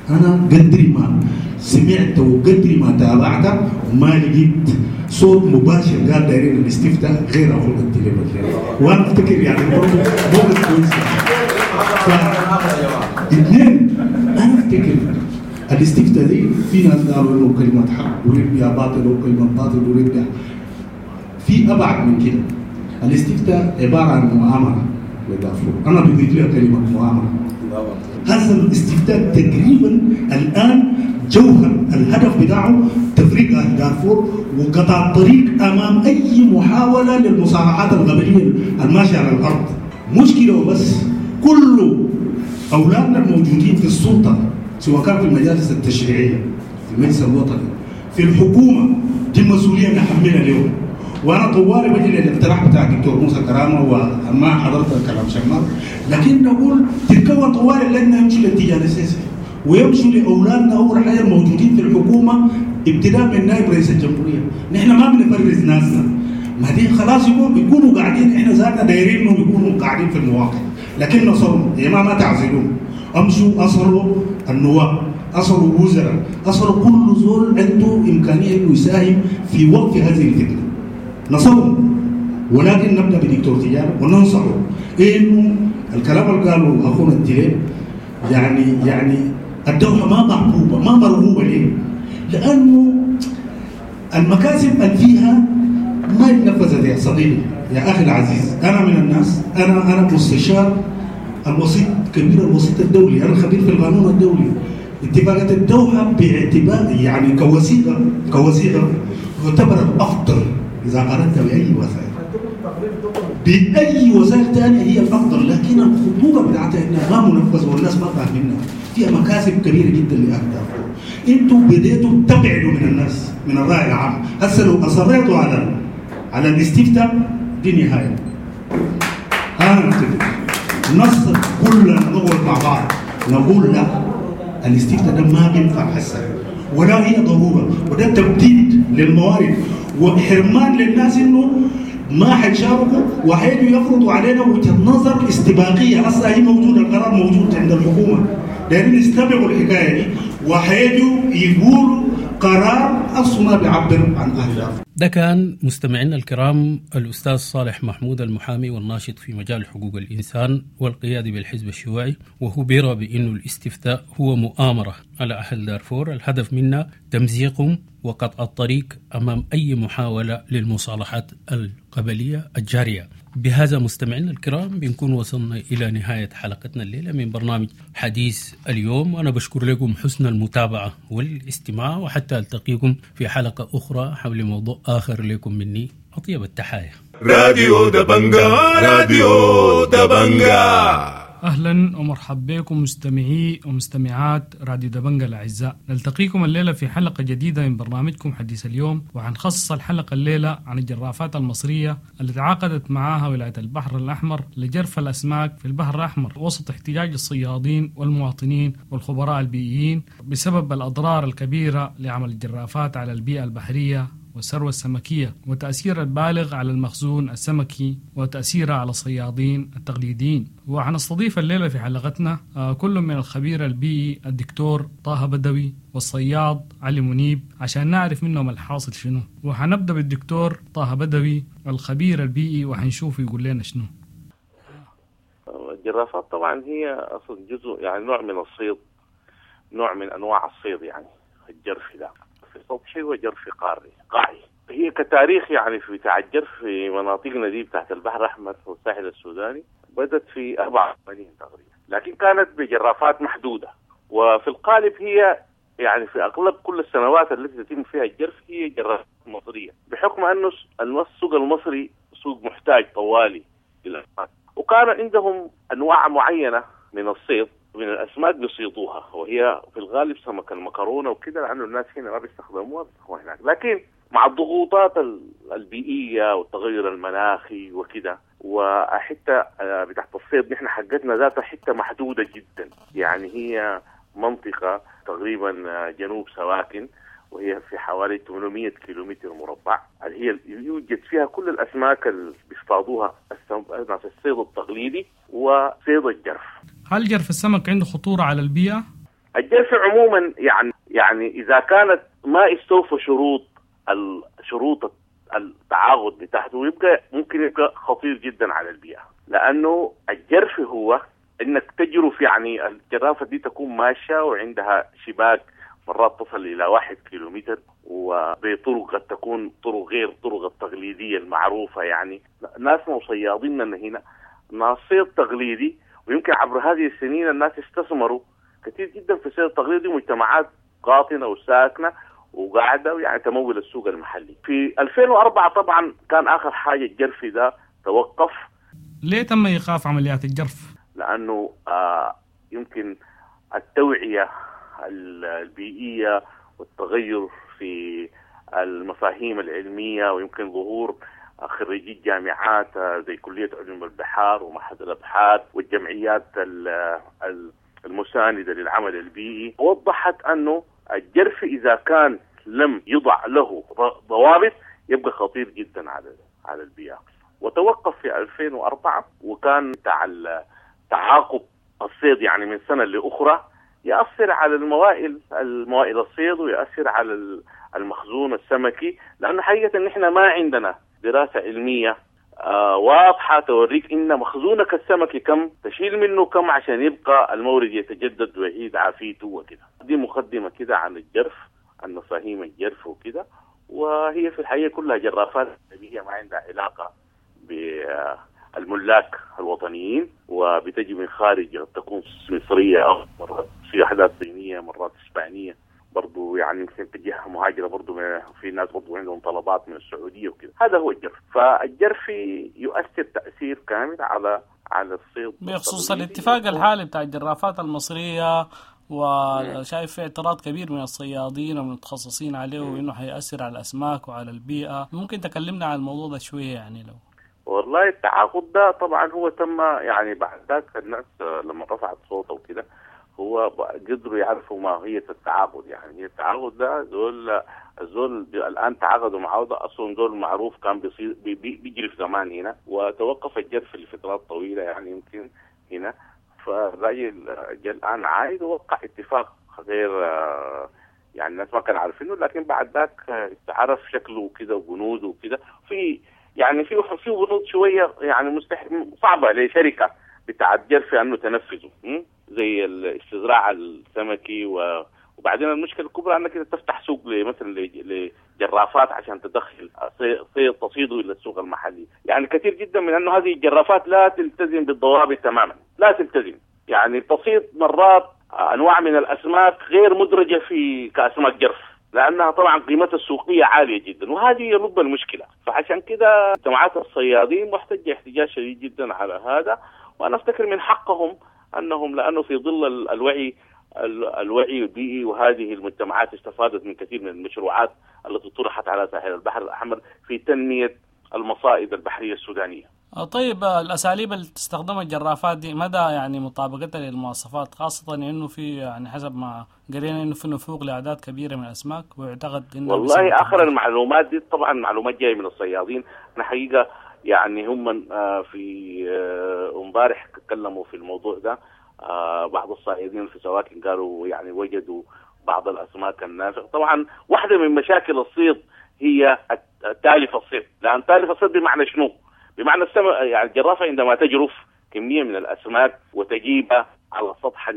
أنا قدر ما سمعت وقدر ما تابعت وما لقيت صوت مباشر قال دايرين الاستفتاء غير أخونا التليب، وأنا أفتكر يعني برضه موقف كويس. اثنين، أنا أفتكر الاستفتاء دي في ناس قالوا انه كلمة حق اريد بها باطل وكلمه باطل اريد بها، في ابعد من كده. الاستفتاء عبارة عن مؤامرة لدارفور، انا بضيف لها كلمة مؤامرة. هذا الاستفتاء تقريبا الان جوهر الهدف بتاعه تفريق اهل دارفور وقطع الطريق امام اي محاولة للمصارعات القبلية الماشية على الارض. مشكلة وبس، كل اولادنا الموجودين في السلطة سواء كان في المجالس التشريعية، في المجلس الوطني، في الحكومة، دي مسؤولية نحملها اليوم. وانا طوالي بجي للاقتراح بتاع الدكتور موسى كرامة وما حضرت الكلام شمال، لكن نقول تتكون طوال اللجنة يمشوا للاتجاه الاساسي ويمشوا لاولادنا اول حاجة الموجودين في الحكومة ابتداء من نائب رئيس الجمهورية. نحن ما بنفرز ناسنا، ما دي خلاص يكونوا قاعدين، احنا ذاتنا دايرين انهم يكونوا قاعدين في المواقع، لكن نصرهم يا جماعة ما تعزلوهم، امشوا اصروا النواب، اصروا وزراء، اصروا كل زول عنده امكانية انه يساهم في وقف هذه الفتنة. نصرهم، ولكن نبدا بدكتور تجارة وننصحه انه الكلام اللي قاله اخونا التليب يعني الدوحة ما محبوبه، ما مرغوبة. ليه؟ لانه المكاسب اللي فيها ما اتنفذت يا صديقي يا اخي العزيز. انا من الناس، انا مستشار الوسيط كبير الوسيط الدولي، انا خبير في القانون الدولي. اتفاقية الدوحة باعتبار يعني كوثيقه تعتبر الافضل اذا قارنتها باي وسائل، باي وسائل ثانية هي الافضل، لكن الخطورة بتاعتها انها ما منفذه والناس ما فاهمينها، فيها مكاسب كبيرة جدا لاهل دارفور. انتم بديتوا تبعدوا من الناس، من الراي العام. هسه لو اصريتوا على الاستفتاء دي نهاية. انا متفق نصر كلنا نقعد مع بعض نقول لا، الاستفتاء ده ما بينفع هسه ولا هي ضرورة، وده تبديد للموارد وحرمان للناس انه ما حيشاركوا وحيجوا يفرضوا علينا وجهه نظر استباقية اصلا هي موجودة، القرار موجود عند الحكومة، دايرين يستبقوا الحكاية دي وحيجوا يقولوا قرار اصلا ما بيعبر عن اهل دارفور. ده كان مستمعينا الكرام الأستاذ صالح محمود المحامي والناشط في مجال حقوق الإنسان والقيادي بالحزب الشيوعي، وهو بيرى بأنه الاستفتاء هو مؤامرة على أهل دارفور، الهدف منها تمزيقهم وقطع الطريق أمام أي محاولة للمصالحات القبلية الجارية. بهذا مستمعينا الكرام بنكون وصلنا إلى نهاية حلقتنا الليلة من برنامج حديث اليوم، وأنا بشكر لكم حسن المتابعة والاستماع، وحتى ألتقيكم في حلقة أخرى حول موضوع آخر. لكم مني أطيب التحايا. راديو دبنجا، راديو دبنجا. أهلا ومرحبا بكم مستمعي ومستمعات راديو دبنجة الأعزاء. نلتقيكم الليلة في حلقة جديدة من برنامجكم حديث اليوم، وحنخصص الحلقة الليلة عن الجرافات المصرية اللي تعاقدت معاها ولاية البحر الأحمر لجرف الأسماك في البحر الأحمر وسط احتجاج الصيادين والمواطنين والخبراء البيئيين بسبب الأضرار الكبيرة لعمل الجرافات على البيئة البحرية والثروة السمكية وتأثير البالغ على المخزون السمكي وتأثيرها على الصيادين التقليديين. وحنستضيف الليلة في حلقتنا كل من الخبير البيئي الدكتور طه بدوي والصياد علي منيب عشان نعرف منهم الحاصل شنو. وحنبدأ بالدكتور طه بدوي الخبير البيئي وحنشوف يقول لنا شنو. الجرافات طبعا هي أصلا جزء يعني نوع من الصيد، نوع من أنواع الصيد، يعني الجرف ده سطحي وجرف قاري قاعي. هي كتاريخ يعني في بتاع الجرف في مناطقنا دي بتاعت البحر الأحمر والساحل السوداني بدت في 84 تقريبا، لكن كانت بجرافات محدودة، وفي الغالب هي يعني في أغلب كل السنوات التي تتم فيها الجرف هي جرافات مصرية، بحكم أنه السوق المصري سوق محتاج طوالي للأسماك، وكان عندهم أنواع معينة من الصيد من الأسماك بيصيدوها، وهي في الغالب سمك المكرونة وكده، لأنه الناس هنا ما بيستخدموها بيستخدموها هناك. لكن مع الضغوطات البيئية والتغير المناخي وكده، وحتى بتاعت الصيد نحن حقتنا ذاتها حتة محدودة جدا، يعني هي منطقة تقريبا جنوب سواكن، وهي في حوالي 800 كيلومتر مربع، اللي هي يوجد فيها كل الأسماك اللي بيصطادوها ناس الصيد التقليدي وصيد الجرف. هل جرف السمك عنده خطورة على البيئة؟ الجرف عموما يعني إذا كانت ما استوفى شروط التعاقد بتاعته يبقى ممكن يبقى خطير جدا على البيئة، لأنه الجرف هو إنك تجرف، يعني الجرافة دي تكون ماشية وعندها شباك مرات تصل إلى 1 كيلومتر، وبطرق قد تكون طرق غير الطرق التقليدية المعروفة. يعني ناسنا وصياديننا هنا ناس صيد تقليدي، ويمكن عبر هذه السنين الناس استثمروا كثير جدا في الصيد التقليدي، مجتمعات قاطنة وساكنة وقاعدة يعني تمول السوق المحلي. في 2004 طبعا كان آخر حاجة الجرف ده توقف. ليه تم إيقاف عمليات الجرف؟ لأنه يمكن التوعية البيئية والتغير في المفاهيم العلمية، ويمكن ظهور خريجي الجامعات زي كلية علوم البحار ومعهد الأبحاث والجمعيات المساندة للعمل البيئي، وضحت أنه الجرف إذا كان لم يضع له ضوابط يبقى خطير جدا على البيئة، وتوقف في 2004. وكان تعاقب الصيد يعني من سنة لأخرى يأثر على الموائل الصيد، ويأثر على المخزون السمكي، لأنه حقيقة إن إحنا ما عندنا دراسة علمية واضحة توريك إن مخزونك السمكي كم تشيل منه كم عشان يبقى المورد يتجدد ويعيد عافيته وكده. دي مقدمة كده عن الجرف، عن مفاهيم الجرف وكده، وهي في الحقيقة كلها جرافات أجنبية ما عندها علاقة بالملاك الوطنيين، وبتجي من خارج، تكون مصرية أو مرات في وحدات صينية، مرات إسبانية برضو، يعني يمكن تجيها مهاجرة برضو، في ناس برضو عندهم طلبات من السعودية وكده. هذا هو الجرف. فالجرف يؤثر تأثير كامل على الصيد. بخصوص الاتفاق الحالي بتاع الجرافات المصرية، وشايف في اعتراض كبير من الصيادين ومن المتخصصين عليه، وإنه حيأثر على الأسماك وعلى البيئة، ممكن تكلمنا عن الموضوع ده شوية يعني لو؟ والله التعاقد ده طبعا هو تم يعني بعد ذاك الناس لما رفعت صوته وكده هو قدروا يعرفوا ماهية التعاقد. يعني التعاقد ده زول الآن تعاقدوا معه ده أصلا زول معروف كان بيجري في زمان هنا، وتوقف الجرف لفترات طويلة يعني يمكن هنا. فالراجل الآن عايد ووقع اتفاق غير يعني الناس ما كانوا عارفينه، لكن بعد ذاك تعرف شكله وكده وبنوده وكده. في يعني في بنود شوية يعني مستحيل صعبة لشركة بتاعت جرف أنه تنفذه، زي الاستزراع السمكي وبعدين المشكلة الكبرى أنك تفتح سوق مثلا لجرافات عشان تدخل صيد تصيده إلى السوق المحلي. يعني كثير جدا من أنه هذه الجرافات لا تلتزم بالضوابط تماما، لا تلتزم، يعني تصيد مرات أنواع من الأسماك غير مدرجة في كأسماك جرف، لأنها طبعا قيمتها السوقية عالية جدا، وهذه لب المشكلة. فعشان كده جماعات الصيادين محتجة احتجاج شديد جدا على هذا، وأنا أفتكر من حقهم أنهم لأنه في ظل الوعي البيئي، وهذه المجتمعات استفادت من كثير من المشروعات التي طرحت على ساحل البحر الأحمر في تنمية المصائد البحرية السودانية. طيب الأساليب اللي تستخدمها الجرافات دي مدى يعني مطابقتها للمواصفات، خاصة إنه في يعني حسب ما قرينا إنه في نفوق لأعداد كبيرة من الأسماك، ويعتقد إنه والله آخر المعلومات دي طبعا معلومات جاية من الصيادين. أنا حقيقة يعني هم في امبارح تكلموا في الموضوع ده، بعض الصيادين في سواكن قالوا يعني وجدوا بعض الأسماك النافقة. طبعا واحدة من مشاكل الصيد هي تالف الصيد، لأن تالف الصيد بمعنى شنو؟ بمعنى يعني الجرافة عندما تجرف كمية من الأسماك وتجيبها على سطح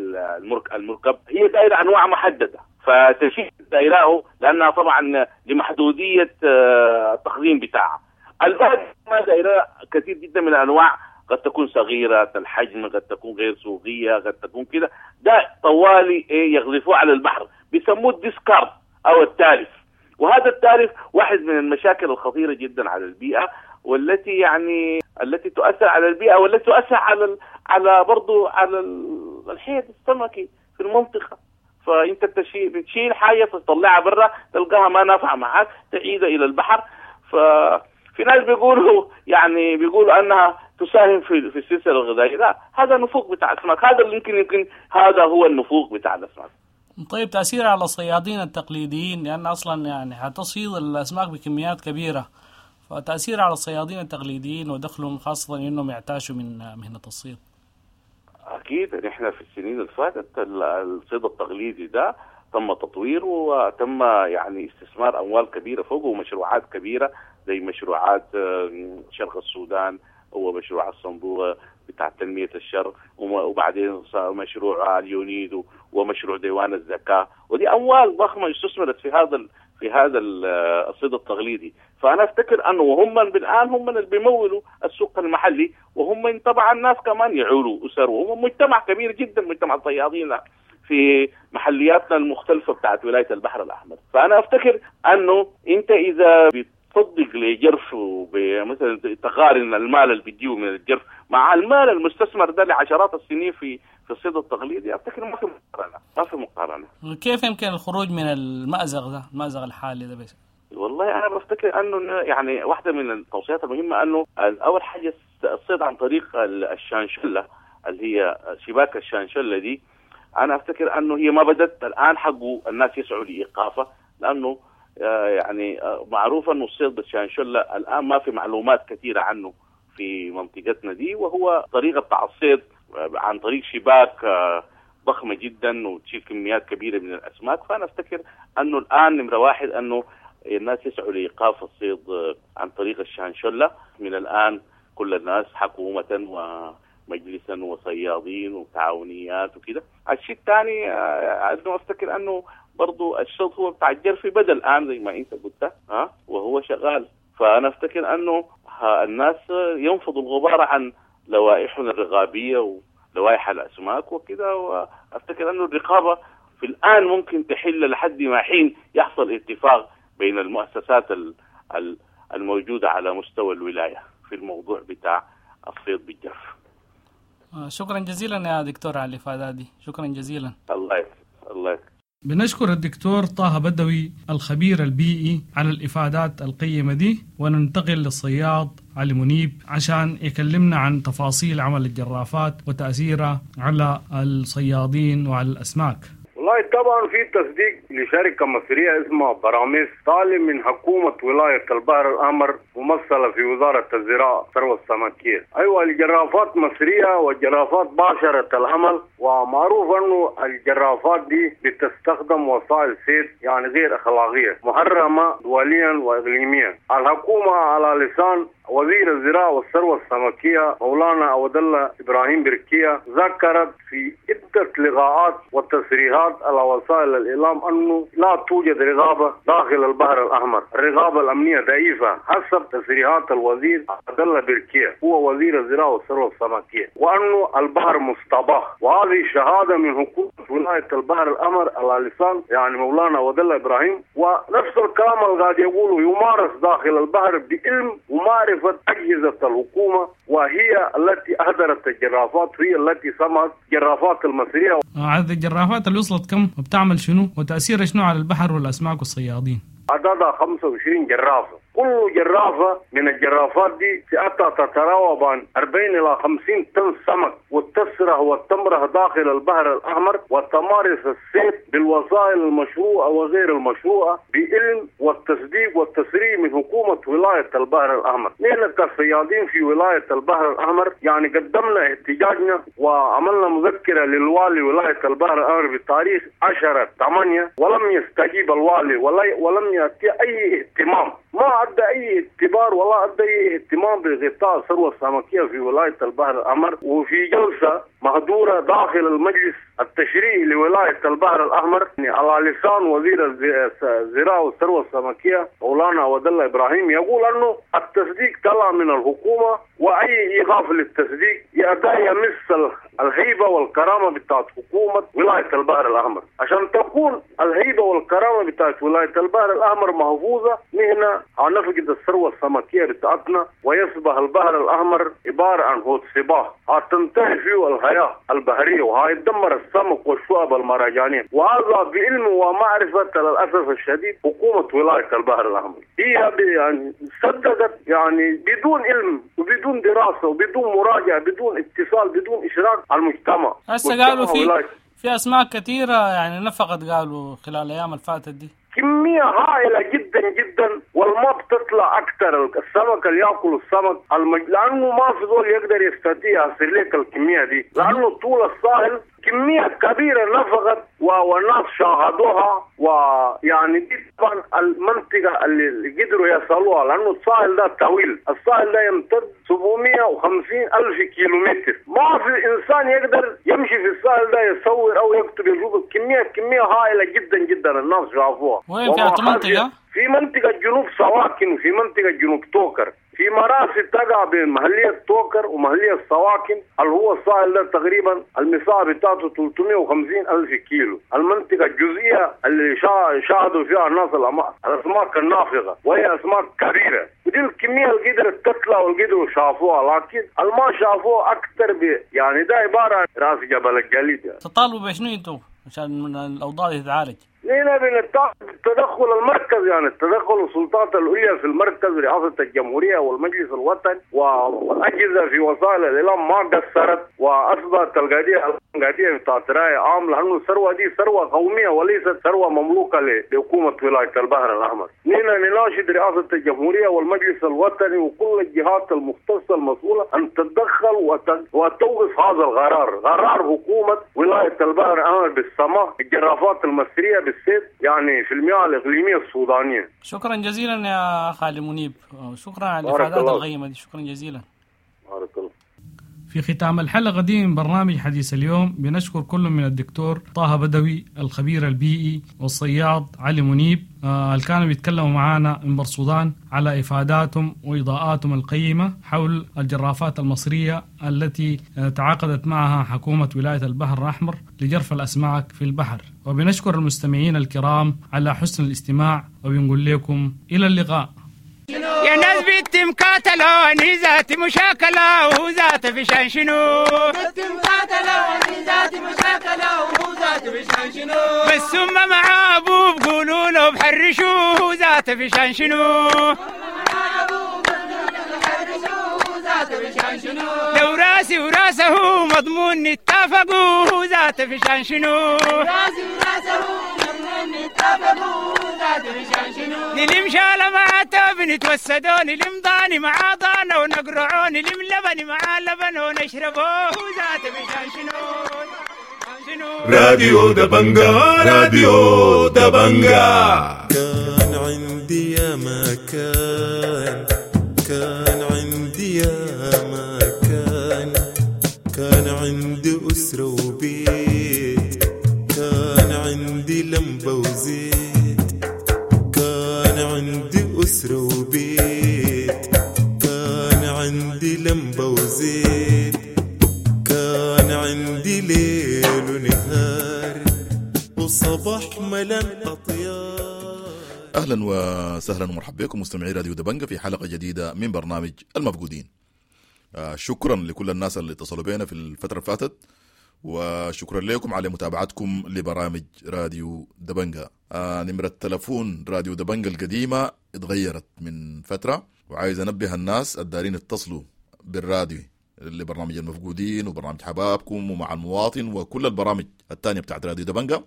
المركب، هي دائرة أنواع محددة، فتشيل دائراه لأنها طبعا لمحدودية التخزين بتاعها. البعض ما دائرة كثير جدا من الأنواع، قد تكون صغيرة الحجم، قد تكون غير سوقية، قد تكون كده، ده طوالي يغذفوه على البحر، بيسموه الديسكارد أو التالف. وهذا التالف واحد من المشاكل الخطيرة جدا على البيئة، والتي يعني التي تؤثر على البيئة، والتي تؤثر على برضو على الحيض السمكي في المنطقة. فأنت بتشيل حاجة تطلعها برا تلقاها ما نافعة معاك، تعيدها إلى البحر. ففي ناس بيقولوا يعني بيقولوا أنها تساهم في السلسلة الغذائية. لا، هذا النفوق بتاع الأسماك، هذا اللي يمكن هذا هو النفوق بتاع الأسماك. طيب تأثير على الصيادين التقليديين، لأن أصلا يعني حتصيد الأسماك بكميات كبيرة، فتأثير على الصيادين التقليديين ودخلهم، خاصة إنهم يعتاشوا من مهنة الصيد. أكيد نحن في السنين اللي فاتت الصيد التقليدي ده تم تطويره وتم يعني استثمار أموال كبيرة فوقه، ومشروعات كبيرة زي مشروعات شرق السودان ومشروع الصندوق بتاع تنمية الشرق، وبعدين مشروع اليونيدو ومشروع ديوان الزكاة، ودي أموال ضخمة استثمرت في هذا الصيد التقليدي. فأنا أفتكر أنه وهم الآن هم اللي بيمولوا السوق المحلي، وهم طبعا الناس كمان يعولوا أسر، وهم مجتمع كبير جدا، مجتمع الصيادين في محلياتنا المختلفة بتاعت ولاية البحر الأحمر. فأنا أفتكر أنه أنت إذا بتصدق لجرف مثلا تقارن المال اللي بيجيه من الجرف مع المال المستثمر ده لعشرات السنين في الصيد التقليدي، أفتكر ما في مقارنة، ما في مقارنة. كيف يمكن الخروج من المأزق ده، المأزق الحالي ده بس؟ والله أنا بفتكر أنه يعني واحدة من التوصيات المهمة أنه أول حاجة الصيد عن طريق الشانشلة اللي هي شباك الشانشلة دي، أنا أفتكر أنه هي ما بدت الآن، حقه الناس يسعوا لإيقافها، لأنه يعني معروف أنه الصيد بالشانشلة الآن ما في معلومات كثيرة عنه في منطقتنا دي، وهو طريقة بتاع الصيد عن طريق شباك ضخمة جدا وتشيل كميات كبيرة من الأسماك. فأنا أفتكر أنه الآن نمرة واحد أنه الناس يسعوا لإيقاف الصيد عن طريق الشانشلة. من الآن كل الناس حكومة ومجلسا وصيادين وتعاونيات وكده. الشيء الثاني أنه أفتكر أنه برضو الشوط هو بتاع الجرف بدأ الآن زي ما أنت قلت، وهو شغال. فأنا أفتكر أنه الناس ينفضوا الغبار عن لوائحنا الرقابية ولوائح الأسماك وكده، وأفتكر أنه الرقابة في الآن ممكن تحل لحد ما حين يحصل اتفاق بين المؤسسات الموجودة على مستوى الولاية في الموضوع بتاع الصيد بالجرف. شكرا جزيلا يا دكتور على الإفادة دي، شكرا جزيلا. الله الله. بنشكر الدكتور طه بدوي الخبير البيئي على الإفادات القيمة دي، وننتقل للصياد علي منيب عشان يكلمنا عن تفاصيل عمل الجرافات وتأثيرها على الصيادين وعلى الأسماك. والله طبعا في تصديق لشركة مصرية اسمها براميس طالب من حكومة ولاية البحر الأحمر ممثلة في وزارة الزراعة والثروة السمكية. أيوة الجرافات مصرية والجرافات باشرت العمل، ومعروف أنه الجرافات دي بتستخدم وسائل صيد يعني غير أخلاقية محرمة دوليا وإقليميا. الحكومة على لسان وزير الزراعة والثروة السمكية مولانا عبد الله إبراهيم بركية ذكرت في عدة لقاءات وتصريحات على وسائل الإعلام أنه لا توجد رقابة داخل البحر الأحمر، الرقابة الأمنية ضعيفة حسب تصريحات الوزير عبد الله بركية هو وزير الزراعة والثروة السمكية، وأنه البحر مستباح، وهذه شهادة من حكومة ولاية البحر الأحمر على لسان يعني مولانا عبد الله إبراهيم. ونفس الكلام اللي قاعد يقوله يمارس داخل البحر بعلم ومعرفة ومعرفة أجهزة الحكومة، وهي التي أهدرت الجرافات، هي التي سمت جرافات المصرية. عدد الجرافات اللي وصلت كم وبتعمل شنو وتأثيرها شنو على البحر والأسماك والصيادين؟ عددها 25 جرافة، كل جرافة من الجرافات دي فئتها تتراوح عن 40 إلى 50 طن سمك، وتسرح وتمرح داخل البحر الأحمر، وتمارس الصيد بالوسائل المشروعة وغير المشروعة بعلم والتصديق والتسريع من حكومة ولاية البحر الأحمر. نحن كصيادين في ولاية البحر الأحمر يعني قدمنا احتجاجنا وعملنا مذكرة للوالي ولاية البحر الأحمر بتاريخ 10/8، ولم يستجيب الوالي ولم يأتي أي اهتمام، ما أدى أي اعتبار ولا أدى أي اهتمام بغطاء الثروة السمكية في ولاية البحر الأحمر. وفي جلسة مهدورة داخل المجلس التشريعي لولاية البحر الأحمر على لسان وزير الزراعة والثروة السمكية مولانا ودالله إبراهيم يقول أنه التصديق طلع من الحكومة، وأي إيقاف للتصديق يمس الهيبة والكرامة بتاعت حكومة ولاية البحر الأحمر. عشان تكون الهيبة والكرامة بتاعت ولاية البحر الأحمر محفوظة، نحن هنفقد الثروة السمكية بتاعتنا، ويصبح البحر الأحمر عبارة عن حوض سباح هتنتهي فيه الحياة البحرية، وهيدمر السمك والشعب المرجانية. وهذا بعلم ومعرفة للأسف الشديد حكومة ولاية البحر الأحمر هي يعني صدقت، يعني بدون علم وبدون دراسة وبدون مراجعة، بدون اتصال، بدون إشراك المجتمع. هسه قالوا في أسماك كثيرة يعني نفقت، قالوا خلال الأيام الفاتت دي كمية هائلة جدا جدا، والما بتطلع أكثر. السمك اللي يأكل السمك لأنه ما في زول يقدر يستطيع يصل لك الكمية دي، لأنه طول الساحل كمية كبيرة نفقت والناس شاهدوها. ويعني دي طبعا المنطقة اللي قدروا يصلوها، لأنه الساحل ده طويل، الساحل ده يمتد 750 ألف كيلومتر، ما في إنسان يقدر يمشي في الساحل ده يصور أو يكتب يشوف كمية هائلة جدا جدا الناس شافوها. وين في منطقة؟ في منطقة جنوب سواكن، وفي منطقة جنوب توكر، في مراسي تقع بين محلية توكر ومحلية سواكن اللي هو الساحل ده تقريبا المساحة بتاعته 350 ألف كيلو. المنطقة الجزئية اللي شاهدوا فيها الناس الأسماك النافقة، وهي أسماك كبيرة، ودي الكمية اللي قدرت تطلع واللي قدروا شافوها، لكن الما شافوها أكثر يعني ده عبارة عن راس جبل الجليد. يعني تطالبوا بشنو انتوا عشان الأوضاع تتعالج؟ نحن بنتدخل المركز، يعني التدخل السلطات العليا في المركز، رئاسة الجمهورية والمجلس الوطني والأجهزة في وسائل الإعلام ما قصرت، وأثبت القضية بتاعت رأي عام، لأنه الثروة دي ثروة قومية وليست ثروة مملوكة لحكومة ولاية البحر الأحمر. نحن نناشد رئاسة الجمهورية والمجلس الوطني وكل الجهات المختصة المسؤولة أن تتدخل وتوقف هذا القرار، قرار حكومة ولاية البحر الأحمر بالسماح الجرافات المصرية بالصيد يعني في المياه الإقليمية السودانية. شكرا جزيلا يا خالد منيب، شكرا على الإفادات القيمة دي، شكرا جزيلا. بارك الله. في ختام الحلقة دي من برنامج حديث اليوم بنشكر كل من الدكتور طه بدوي الخبير البيئي والصياد علي منيب اللي كانوا بيتكلموا معانا من بورسودان على إفاداتهم وإضاءاتهم القيمة حول الجرافات المصرية التي تعاقدت معها حكومة ولاية البحر الأحمر لجرف الأسماك في البحر. وبنشكر المستمعين الكرام على حسن الاستماع، وبنقول لكم إلى اللقاء. يا ناس بنت مقاتلة واني ذاتي مشاكلة وهو ذات في شان شنو؟ بنت مقاتلة واني ذاتي مشاكلة وهو ذات في شان شنو؟ بس ثم مع ابوه بقولوا له بحرشوه وهو ذات في شان شنو؟ لو راسي وراسه مضمون نتفقوا وهو ذات في شان شنو؟ راسي وراسه مضمون نتفقوا نلم شالة مع توب نتوسدو، نلم ضاني مع ضانا ونقرعو، نلم لبن مع لبن ونشربو ذات بشان شنو. راديو دبنجا، راديو دبنجا. كان عندي يا مكان، كان عندي يا مكان، كان عندي أسرة وبيت، كان عندي لمبة وزيت، كان عندي أسرة وبيت، كان عندي لمبة وزيت، كان عندي ليل ونهار وصباح ملان أطيار. أهلا اهلا وسهلا ومرحبا بكم مستمعي راديو دبنجة في حلقة جديدة من برنامج المفقودين. شكرا لكل الناس اللي اتصلوا بينا في الفترة اللي فاتت، وشكرا لكم على متابعتكم لبرامج راديو دبنجة. نمرة تلفون راديو دبنجة القديمة اتغيرت من فترة، وعايز انبه الناس الدارين اتصلوا بالراديو لبرنامج المفقودين وبرنامج حبابكم ومع المواطن وكل البرامج الثانية بتاعت راديو دبنجة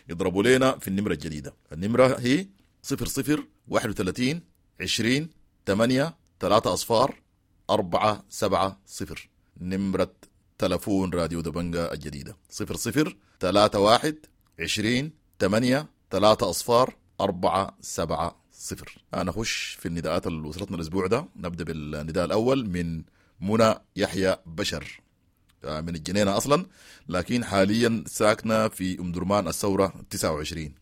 يضربوا لنا في النمرة الجديدة. النمرة هي 00 31 20 8 3 أصفار 4 7 0. نمرة تلفون راديو دبنجة الجديدة 00 31 20 8 3 أصفار 4 7 0. أنا أخش في النداءات اللي وصلتنا الأسبوع ده. نبدأ بالنداء الأول من منى يحيى بشر، من الجنينة أصلا لكن حاليا ساكنة في أم درمان الثورة 29.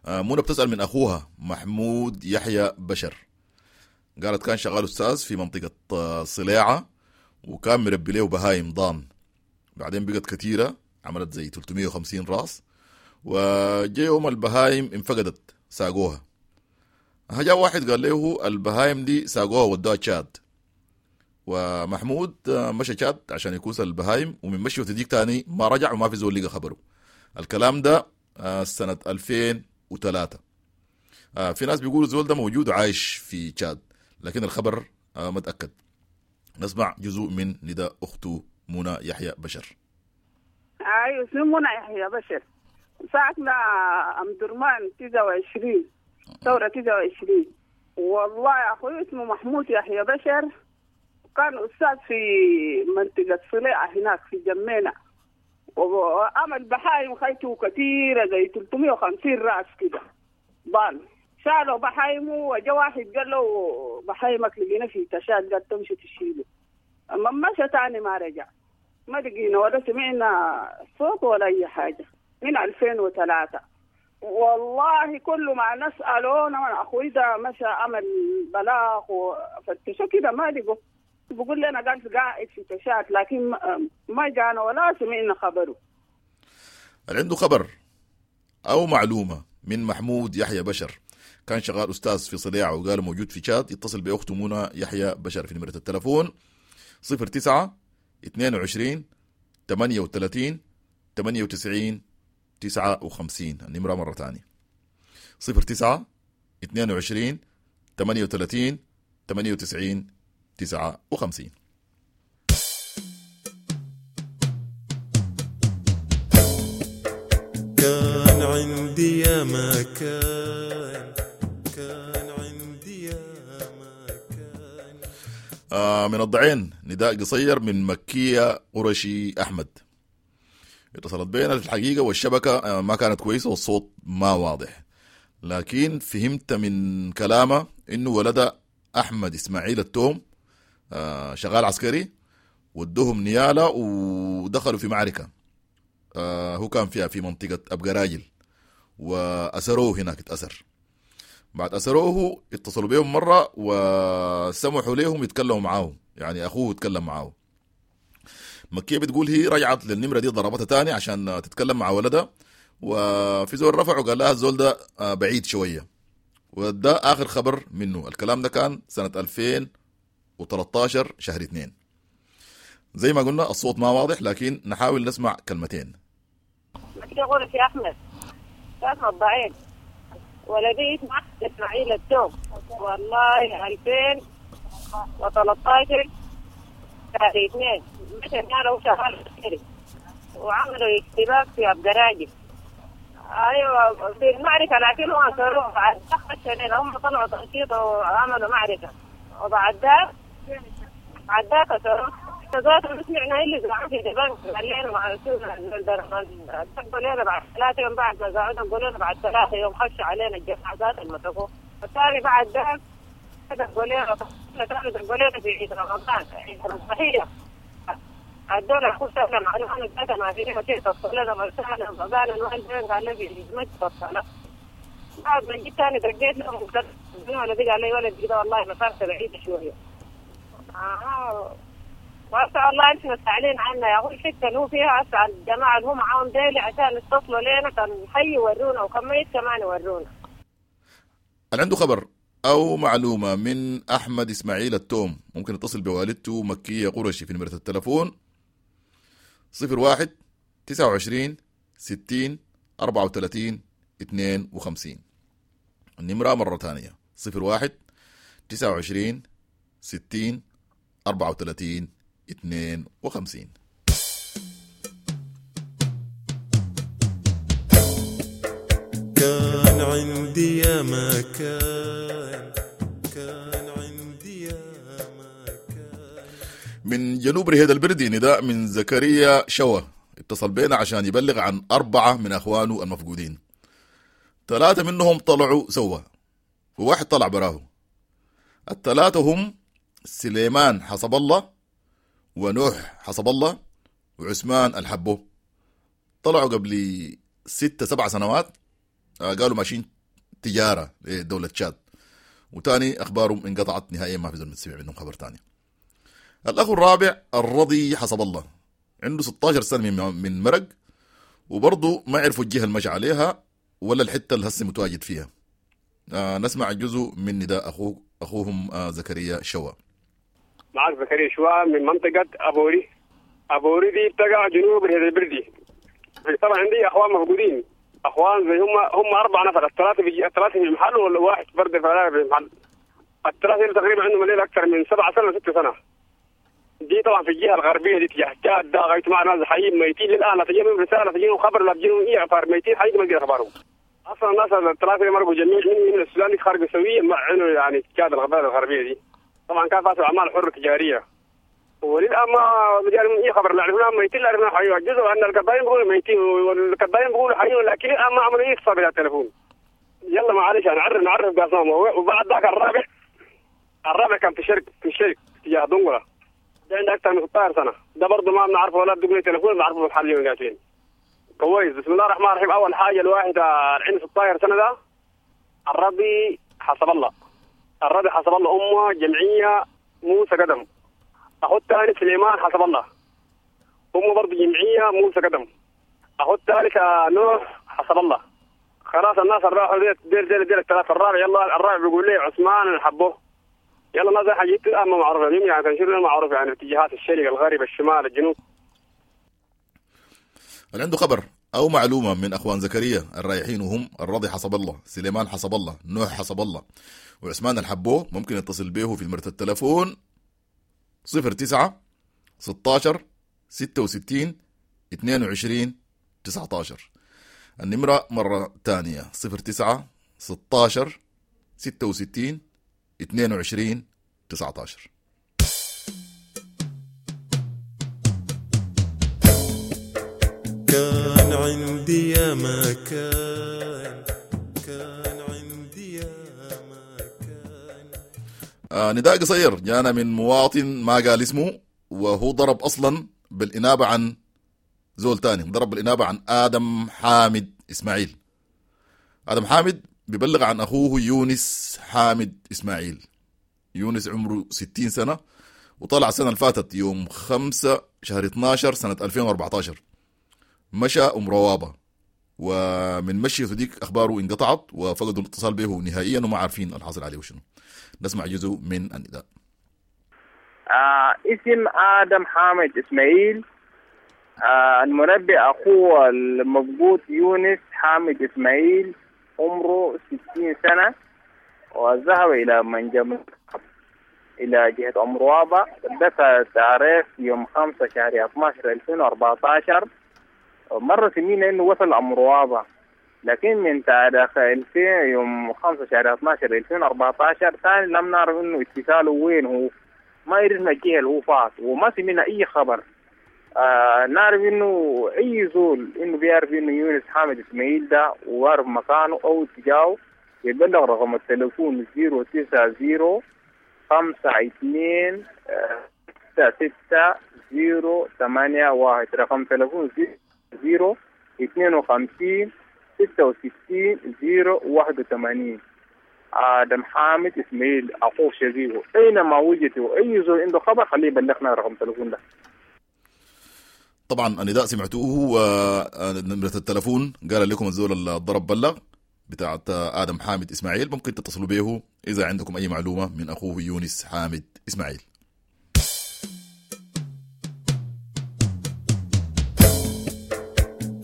منى بتسأل من أخوها محمود يحيى بشر، قالت كان شغال أستاذ في منطقة صلاعة وكان مربي له بهايم ضان، بعدين بقت كثيرة عملت زي 350 راس، وجاء يوم البهايم انفقدت ساقوها. جاء واحد قال له البهايم دي ساقوها ودوها تشاد، ومحمود مشى تشاد عشان يكوس البهايم، ومن مشي وتديك تاني ما رجع وما في زول لقى خبره. الكلام ده سنة 2003. في ناس بيقولوا الزول ده موجود وعايش في تشاد، لكن الخبر ما تأكد. نسمع جزء من نداء أخته منى يحيى بشر. أيوة، اسمي منى يحيى بشر، ساكنة أم درمان 29 ثورة 29. والله يا أخوي اسمه محمود يحيى بشر، كان أستاذ في منطقة صليعة هناك في جمينة، وعمل بحايم خيته كثيرة زي 350 رأس كده ضان. شالوا بحايمه وجا واحد قال له بحايمك لقينا في تشاد، قال تمشي تشيله. أما مشى تاني ما رجع، ما لقينا ولا سمعنا صوت ولا أي حاجة من 2003. والله كل ما نسأله أنا أخوي ده مشى عمل بلاغ وفتشوا كده ما لقوا، بقول لنا قال قاعد في تشاد، لكن ما جانا ولا سمعنا خبره. اللي عنده خبر أو معلومة من محمود يحيى بشر، كان شغال أستاذ في صليعة وقال موجود في تشاد، يتصل بأخته منى يحيى بشر في نمرة التلفون 09 22 38 98 59. النمرة مرة ثانية 09 22 38 98 59. كان عندي يا ما كان، كان عندي يا ما كان. من الضعين نداء قصير من مكية قرشي أحمد. اتصلت بينا في الحقيقة والشبكة ما كانت كويسة والصوت ما واضح، لكن فهمت من كلامه إنه ولد أحمد إسماعيل التوم شغال عسكري، ودوهم نيالة ودخلوا في معركة هو كان فيها في منطقة أبقى راجل، وأسروه هناك اتأسر. بعد أسروه اتصلوا بهم مرة وسمحوا لهم يتكلموا معاه، يعني أخوه يتكلم معاه. مكية بتقول هي رجعت للنمرة دي ضربتها تاني عشان تتكلم مع ولدها، وفي زول رفع وقال لها الزول ده بعيد شوية، وده آخر خبر منه. الكلام ده كان سنة 2013 شهر 2. زي ما قلنا الصوت ما واضح، لكن نحاول نسمع كلمتين. مكية غرفي أحمد كان الضعيف، ولدي اسمه إسماعيل التوم. والله 2013 شهر 2 مشى هنا وشغال عسكري، وعملوا اشتباك في أبقراجي. أيوة في المعركة، لكن هم أسروه بعد سنين، هم طلعوا تنشيط وعملوا معركة، وبعد ذاك بعد ذاك أسروه. ذاته ما سمعنا إلا زعوا في دبنك، قال لنا مع دقوا لنا بعد 3 يوم، بعد ما زعوا دقوا لنا بعد 3 يوم خشوا علينا الجماعة ذات المسكوه. الثاني بعد ذاك دقوا لنا دقوا لنا في عيد رمضان، عيد الضحية، الدولة خشوا معلومة ذاتها ما في شيء تصل مرسالة قال الوالدين قال لي ما تصل. بعد ما جيت ثاني دقيت لهم ولدي قال لي ولد كده والله مسافته بعيدة شوية. وأسأل الله أنتم مسألين عنا يا أخوي، الحتة اللي هو فيها أسأل الجماعة اللي هم معاهم ديلي عشان يتصلوا لنا، كان حي يورونا وكميت كمان يورونا. اللي عنده خبر أو معلومة من أحمد إسماعيل التوم ممكن يتصل بوالدته مكية قرشي في نمرة التلفون 01 29 60 34 52. النمرة مرة ثانية 01 29 60 34 52. كان عندي يا ما كان، كان عندي يا ما كان. من جنوب رهيد البردي نداء من زكريا شوا، اتصل بينا عشان يبلغ عن 4 من أخوانه المفقودين. 3 منهم طلعوا سوا وواحد طلع براه. الثلاثة هم سليمان حسب الله ونوح حسب الله وعثمان الحبو. طلعوا قبل 6-7 سنوات، قالوا ماشيين تجارة لدولة تشاد، وتاني أخبارهم انقطعت نهائيا، ما في زول سمع منهم خبر تاني. الأخ الرابع الرضي حسب الله، عنده 16 سنة من مرق، وبرضه ما عرفوا الجهة المشي عليها ولا الحتة اللي هسه متواجد فيها. نسمع جزء من نداء أخوهم زكريا شوا. معك زكريا شوا من منطقة أبوري. أبوري دي بتقع جنوب البردي. طبعا عندي أخوان مفقودين، أخوان زي هم 4 نفر، الثلاثة في المحل والواحد فرد في المحل. الثلاثة تقريبا عندهم الليل أكثر من 7 سنة 6 سنة. دي طبعا في الجهة الغربية دي تجاه تشاد، ده غاية مع ناس حيين ميتين للآن، لا تجيهم رسالة لا تجيهم خبر لا تجيهم أي أخبار، ميتين حقيقي ما تجي أخبارهم. أصلا الناس الثلاثة اللي مرقوا جميع من السودان خارج سوية مع إنه يعني تشاد الغربية دي. طبعا كان فاتوا أعمال حرة تجارية، وللآن ما جالهم أي خبر، لا عرفنا ميتين لا عرفنا حيين. جزء أن القضايين بيقولوا ميتين والقضايين بيقولوا حيين، لكن الآن ما عملوا أي اتصال بالتليفون. يلا معلش نعرف قاسمهم. وبعد ذاك الرابع كان في شرق تجاه دنقلة، ده عنده أكثر من 16 سنة، ده برضه ما بنعرفه ولا بدقوا تليفون، بنعرفه بالحل وين قاعدين. كويس. بسم الله الرحمن الرحيم. أول حاجة الواحد عنده 16 سنة ده الرضي حسب الله، الرضي حسب الله أمه جمعية موسى قدم. أخو الثاني سليمان حسب الله، أمه برضه جمعية موسى قدم. أخو الثالث نوح حسب الله. خلاص الناس الراحوا ديل ديل ديل الثلاثة. الرابع يلا الرابع بيقول لي عثمان الحبوه. يلا الناس حاجات الآن ما معروفة يعني تنشر معروف يعني اتجاهات الشرق الغرب الشمال الجنوب. اللي عنده خبر أو معلومة من أخوان زكريا الرايحين وهم الرضي حسب الله، سليمان حسب الله، نوح حسب الله، وعثمان الحبوه، ممكن يتصل به في نمرة التلفون 09 16 66 22 19. النمرة مرة تانية 09 16 66 22 19. كان عندي يا ما كان، كان عندي يا ما كان. نداء قصير جانا من مواطن ما قال اسمه، وهو ضرب أصلا بالإنابة عن زول تاني، ضرب بالإنابة عن آدم حامد إسماعيل. آدم حامد بيبلغ عن أخوه يونس حامد إسماعيل. يونس عمره 60 سنة، وطلع السنة اللي فاتت يوم 5 شهر 12 سنة 2014، مشى أم روابة، ومن مشيته ديك أخباره انقطعت وفقدوا الاتصال به نهائيا وما عارفين الحاصل عليه وشنو. نسمع جزء من النداء. اسم آدم حامد إسماعيل، المنبئ أخوه المفقود يونس حامد إسماعيل، عمره 60 سنة، وذهب إلى منجم إلى جهة أم روابة. دفع تاريخ يوم 5 شهر 12 2014. مرة سمينا إنه وصل أم روابة، لكن من تاريخ 2000 يوم 5 شهر 12 2014 ثاني لم نعرف إنه اتصاله وين، هو ما عرفنا الجهة اللي هو فات، وما سمينا أي خبر. نعرف إنه أي زول إنه بيعرف إنه يونس حامد إسماعيل ده وعرف مكانه أو اتجاهه يبلغ رقم التليفون 090 52 66 081. رقم تليفون 0 52 66 081. آدم حامد إسماعيل أخوه شقيقه، أينما وجدته أي زول عنده خبر خليه يبلغنا رقم التليفون ده. طبعا النداء سمعتوه، ونمرة التلفون قال لكم الزول اللي ضرب بلغ. بتاعت آدم حامد إسماعيل، ممكن تتصلوا به إذا عندكم أي معلومة من أخوه يونس حامد إسماعيل.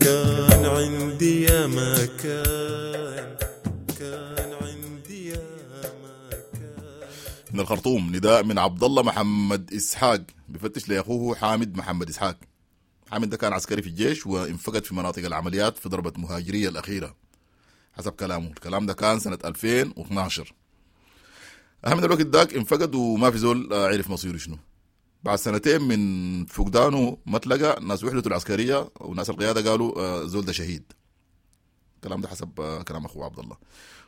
كان عندي يا ما كان، كان عندي يا ما كان. من الخرطوم نداء من عبد الله محمد إسحاق بفتش لأخوه حامد محمد إسحاق. حامد ده كان عسكري في الجيش وانفقد في مناطق العمليات في ضربة مهاجرية الأخيرة حسب كلامه. الكلام ده كان سنة 2012. أهم من الوقت داك انفقد وما في زول عرف مصيره شنو. بعد سنتين من فقدانه ما تلقى، ناس وحدته العسكرية وناس القيادة قالوا زول ده شهيد. الكلام ده حسب كلام أخوه عبد الله.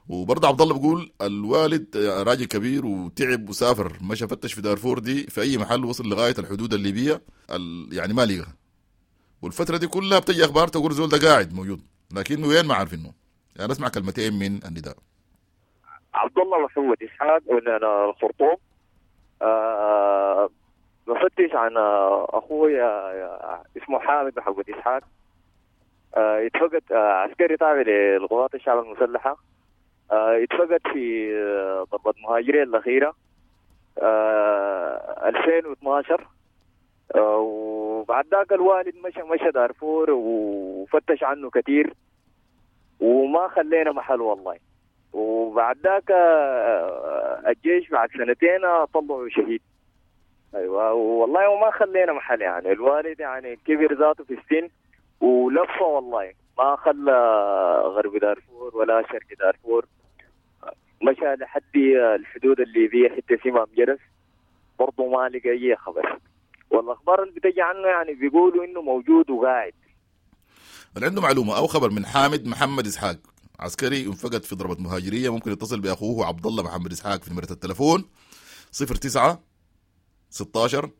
وبرضه عبد الله بيقول الوالد راجل كبير وتعب وسافر، مشى فتش في دارفور دي في أي محل، وصل لغاية الحدود الليبية يعني ما لقى. والفترة دي كلها بتجي أخبار تقول زول ده قاعد موجود، لكنه وين ما عارفينه. يعني نسمع كلمتين من النداء. عبد الله محمد إسحاق من الخرطوم. بفتش عن أخوي اسمه حامد محمد إسحاق. اتفقد عسكري تابع للقوات الشعب المسلحة. اتفقد في ضربة مهاجرين الأخيرة 2012. وبعد ذاك الوالد مشى دارفور وفتش عنه كثير وما خلينا محل والله. وبعد ذاك الجيش بعد سنتين طلعوا شهيد. ايوه والله وما خلينا محل يعني. الوالد يعني كبر ذاته في السن ولفه والله، ما خلى غرب دارفور ولا شرق دارفور، مشى لحد الحدود الليبية حتى سمام جرس برضه ما لقى اي خبر. والاخبار اللي بتجي عنه يعني بيقولوا انه موجود وقاعد. اللي عنده معلومة او خبر من حامد محمد اسحاق عسكري انفقد في ضربه مهاجريه، ممكن يتصل باخوه عبد الله محمد اسحاق في نمره التليفون 09 16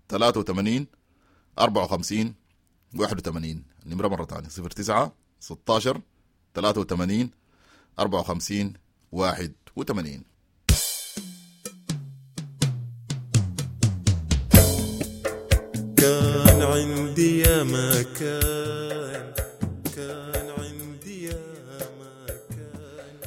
83 54 81. النمرة مرة ثانية 09 16 83 54 81. كان عندي يا ما كان، كان عندي يا ما كان.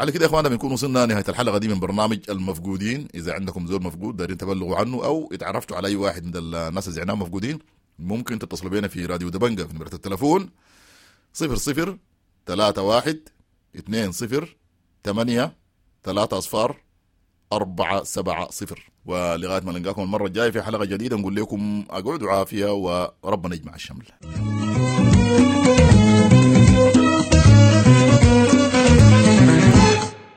على كده يا اخوانا بنكون وصلنا نهاية الحلقة دي من برنامج المفقودين. اذا عندكم زول مفقود دارين تبلغوا عنه او اتعرفتوا على اي واحد من الناس اللي زعناهم مفقودين، ممكن تتصلوا بينا في راديو دبنجة في نمرة التلفون 00 31 20 8 3 0 4 7 0. ولغاية ما نلقاكم المرة الجاية في حلقة جديدة نقول لكم أقعدوا عافية وربنا يجمع الشمل.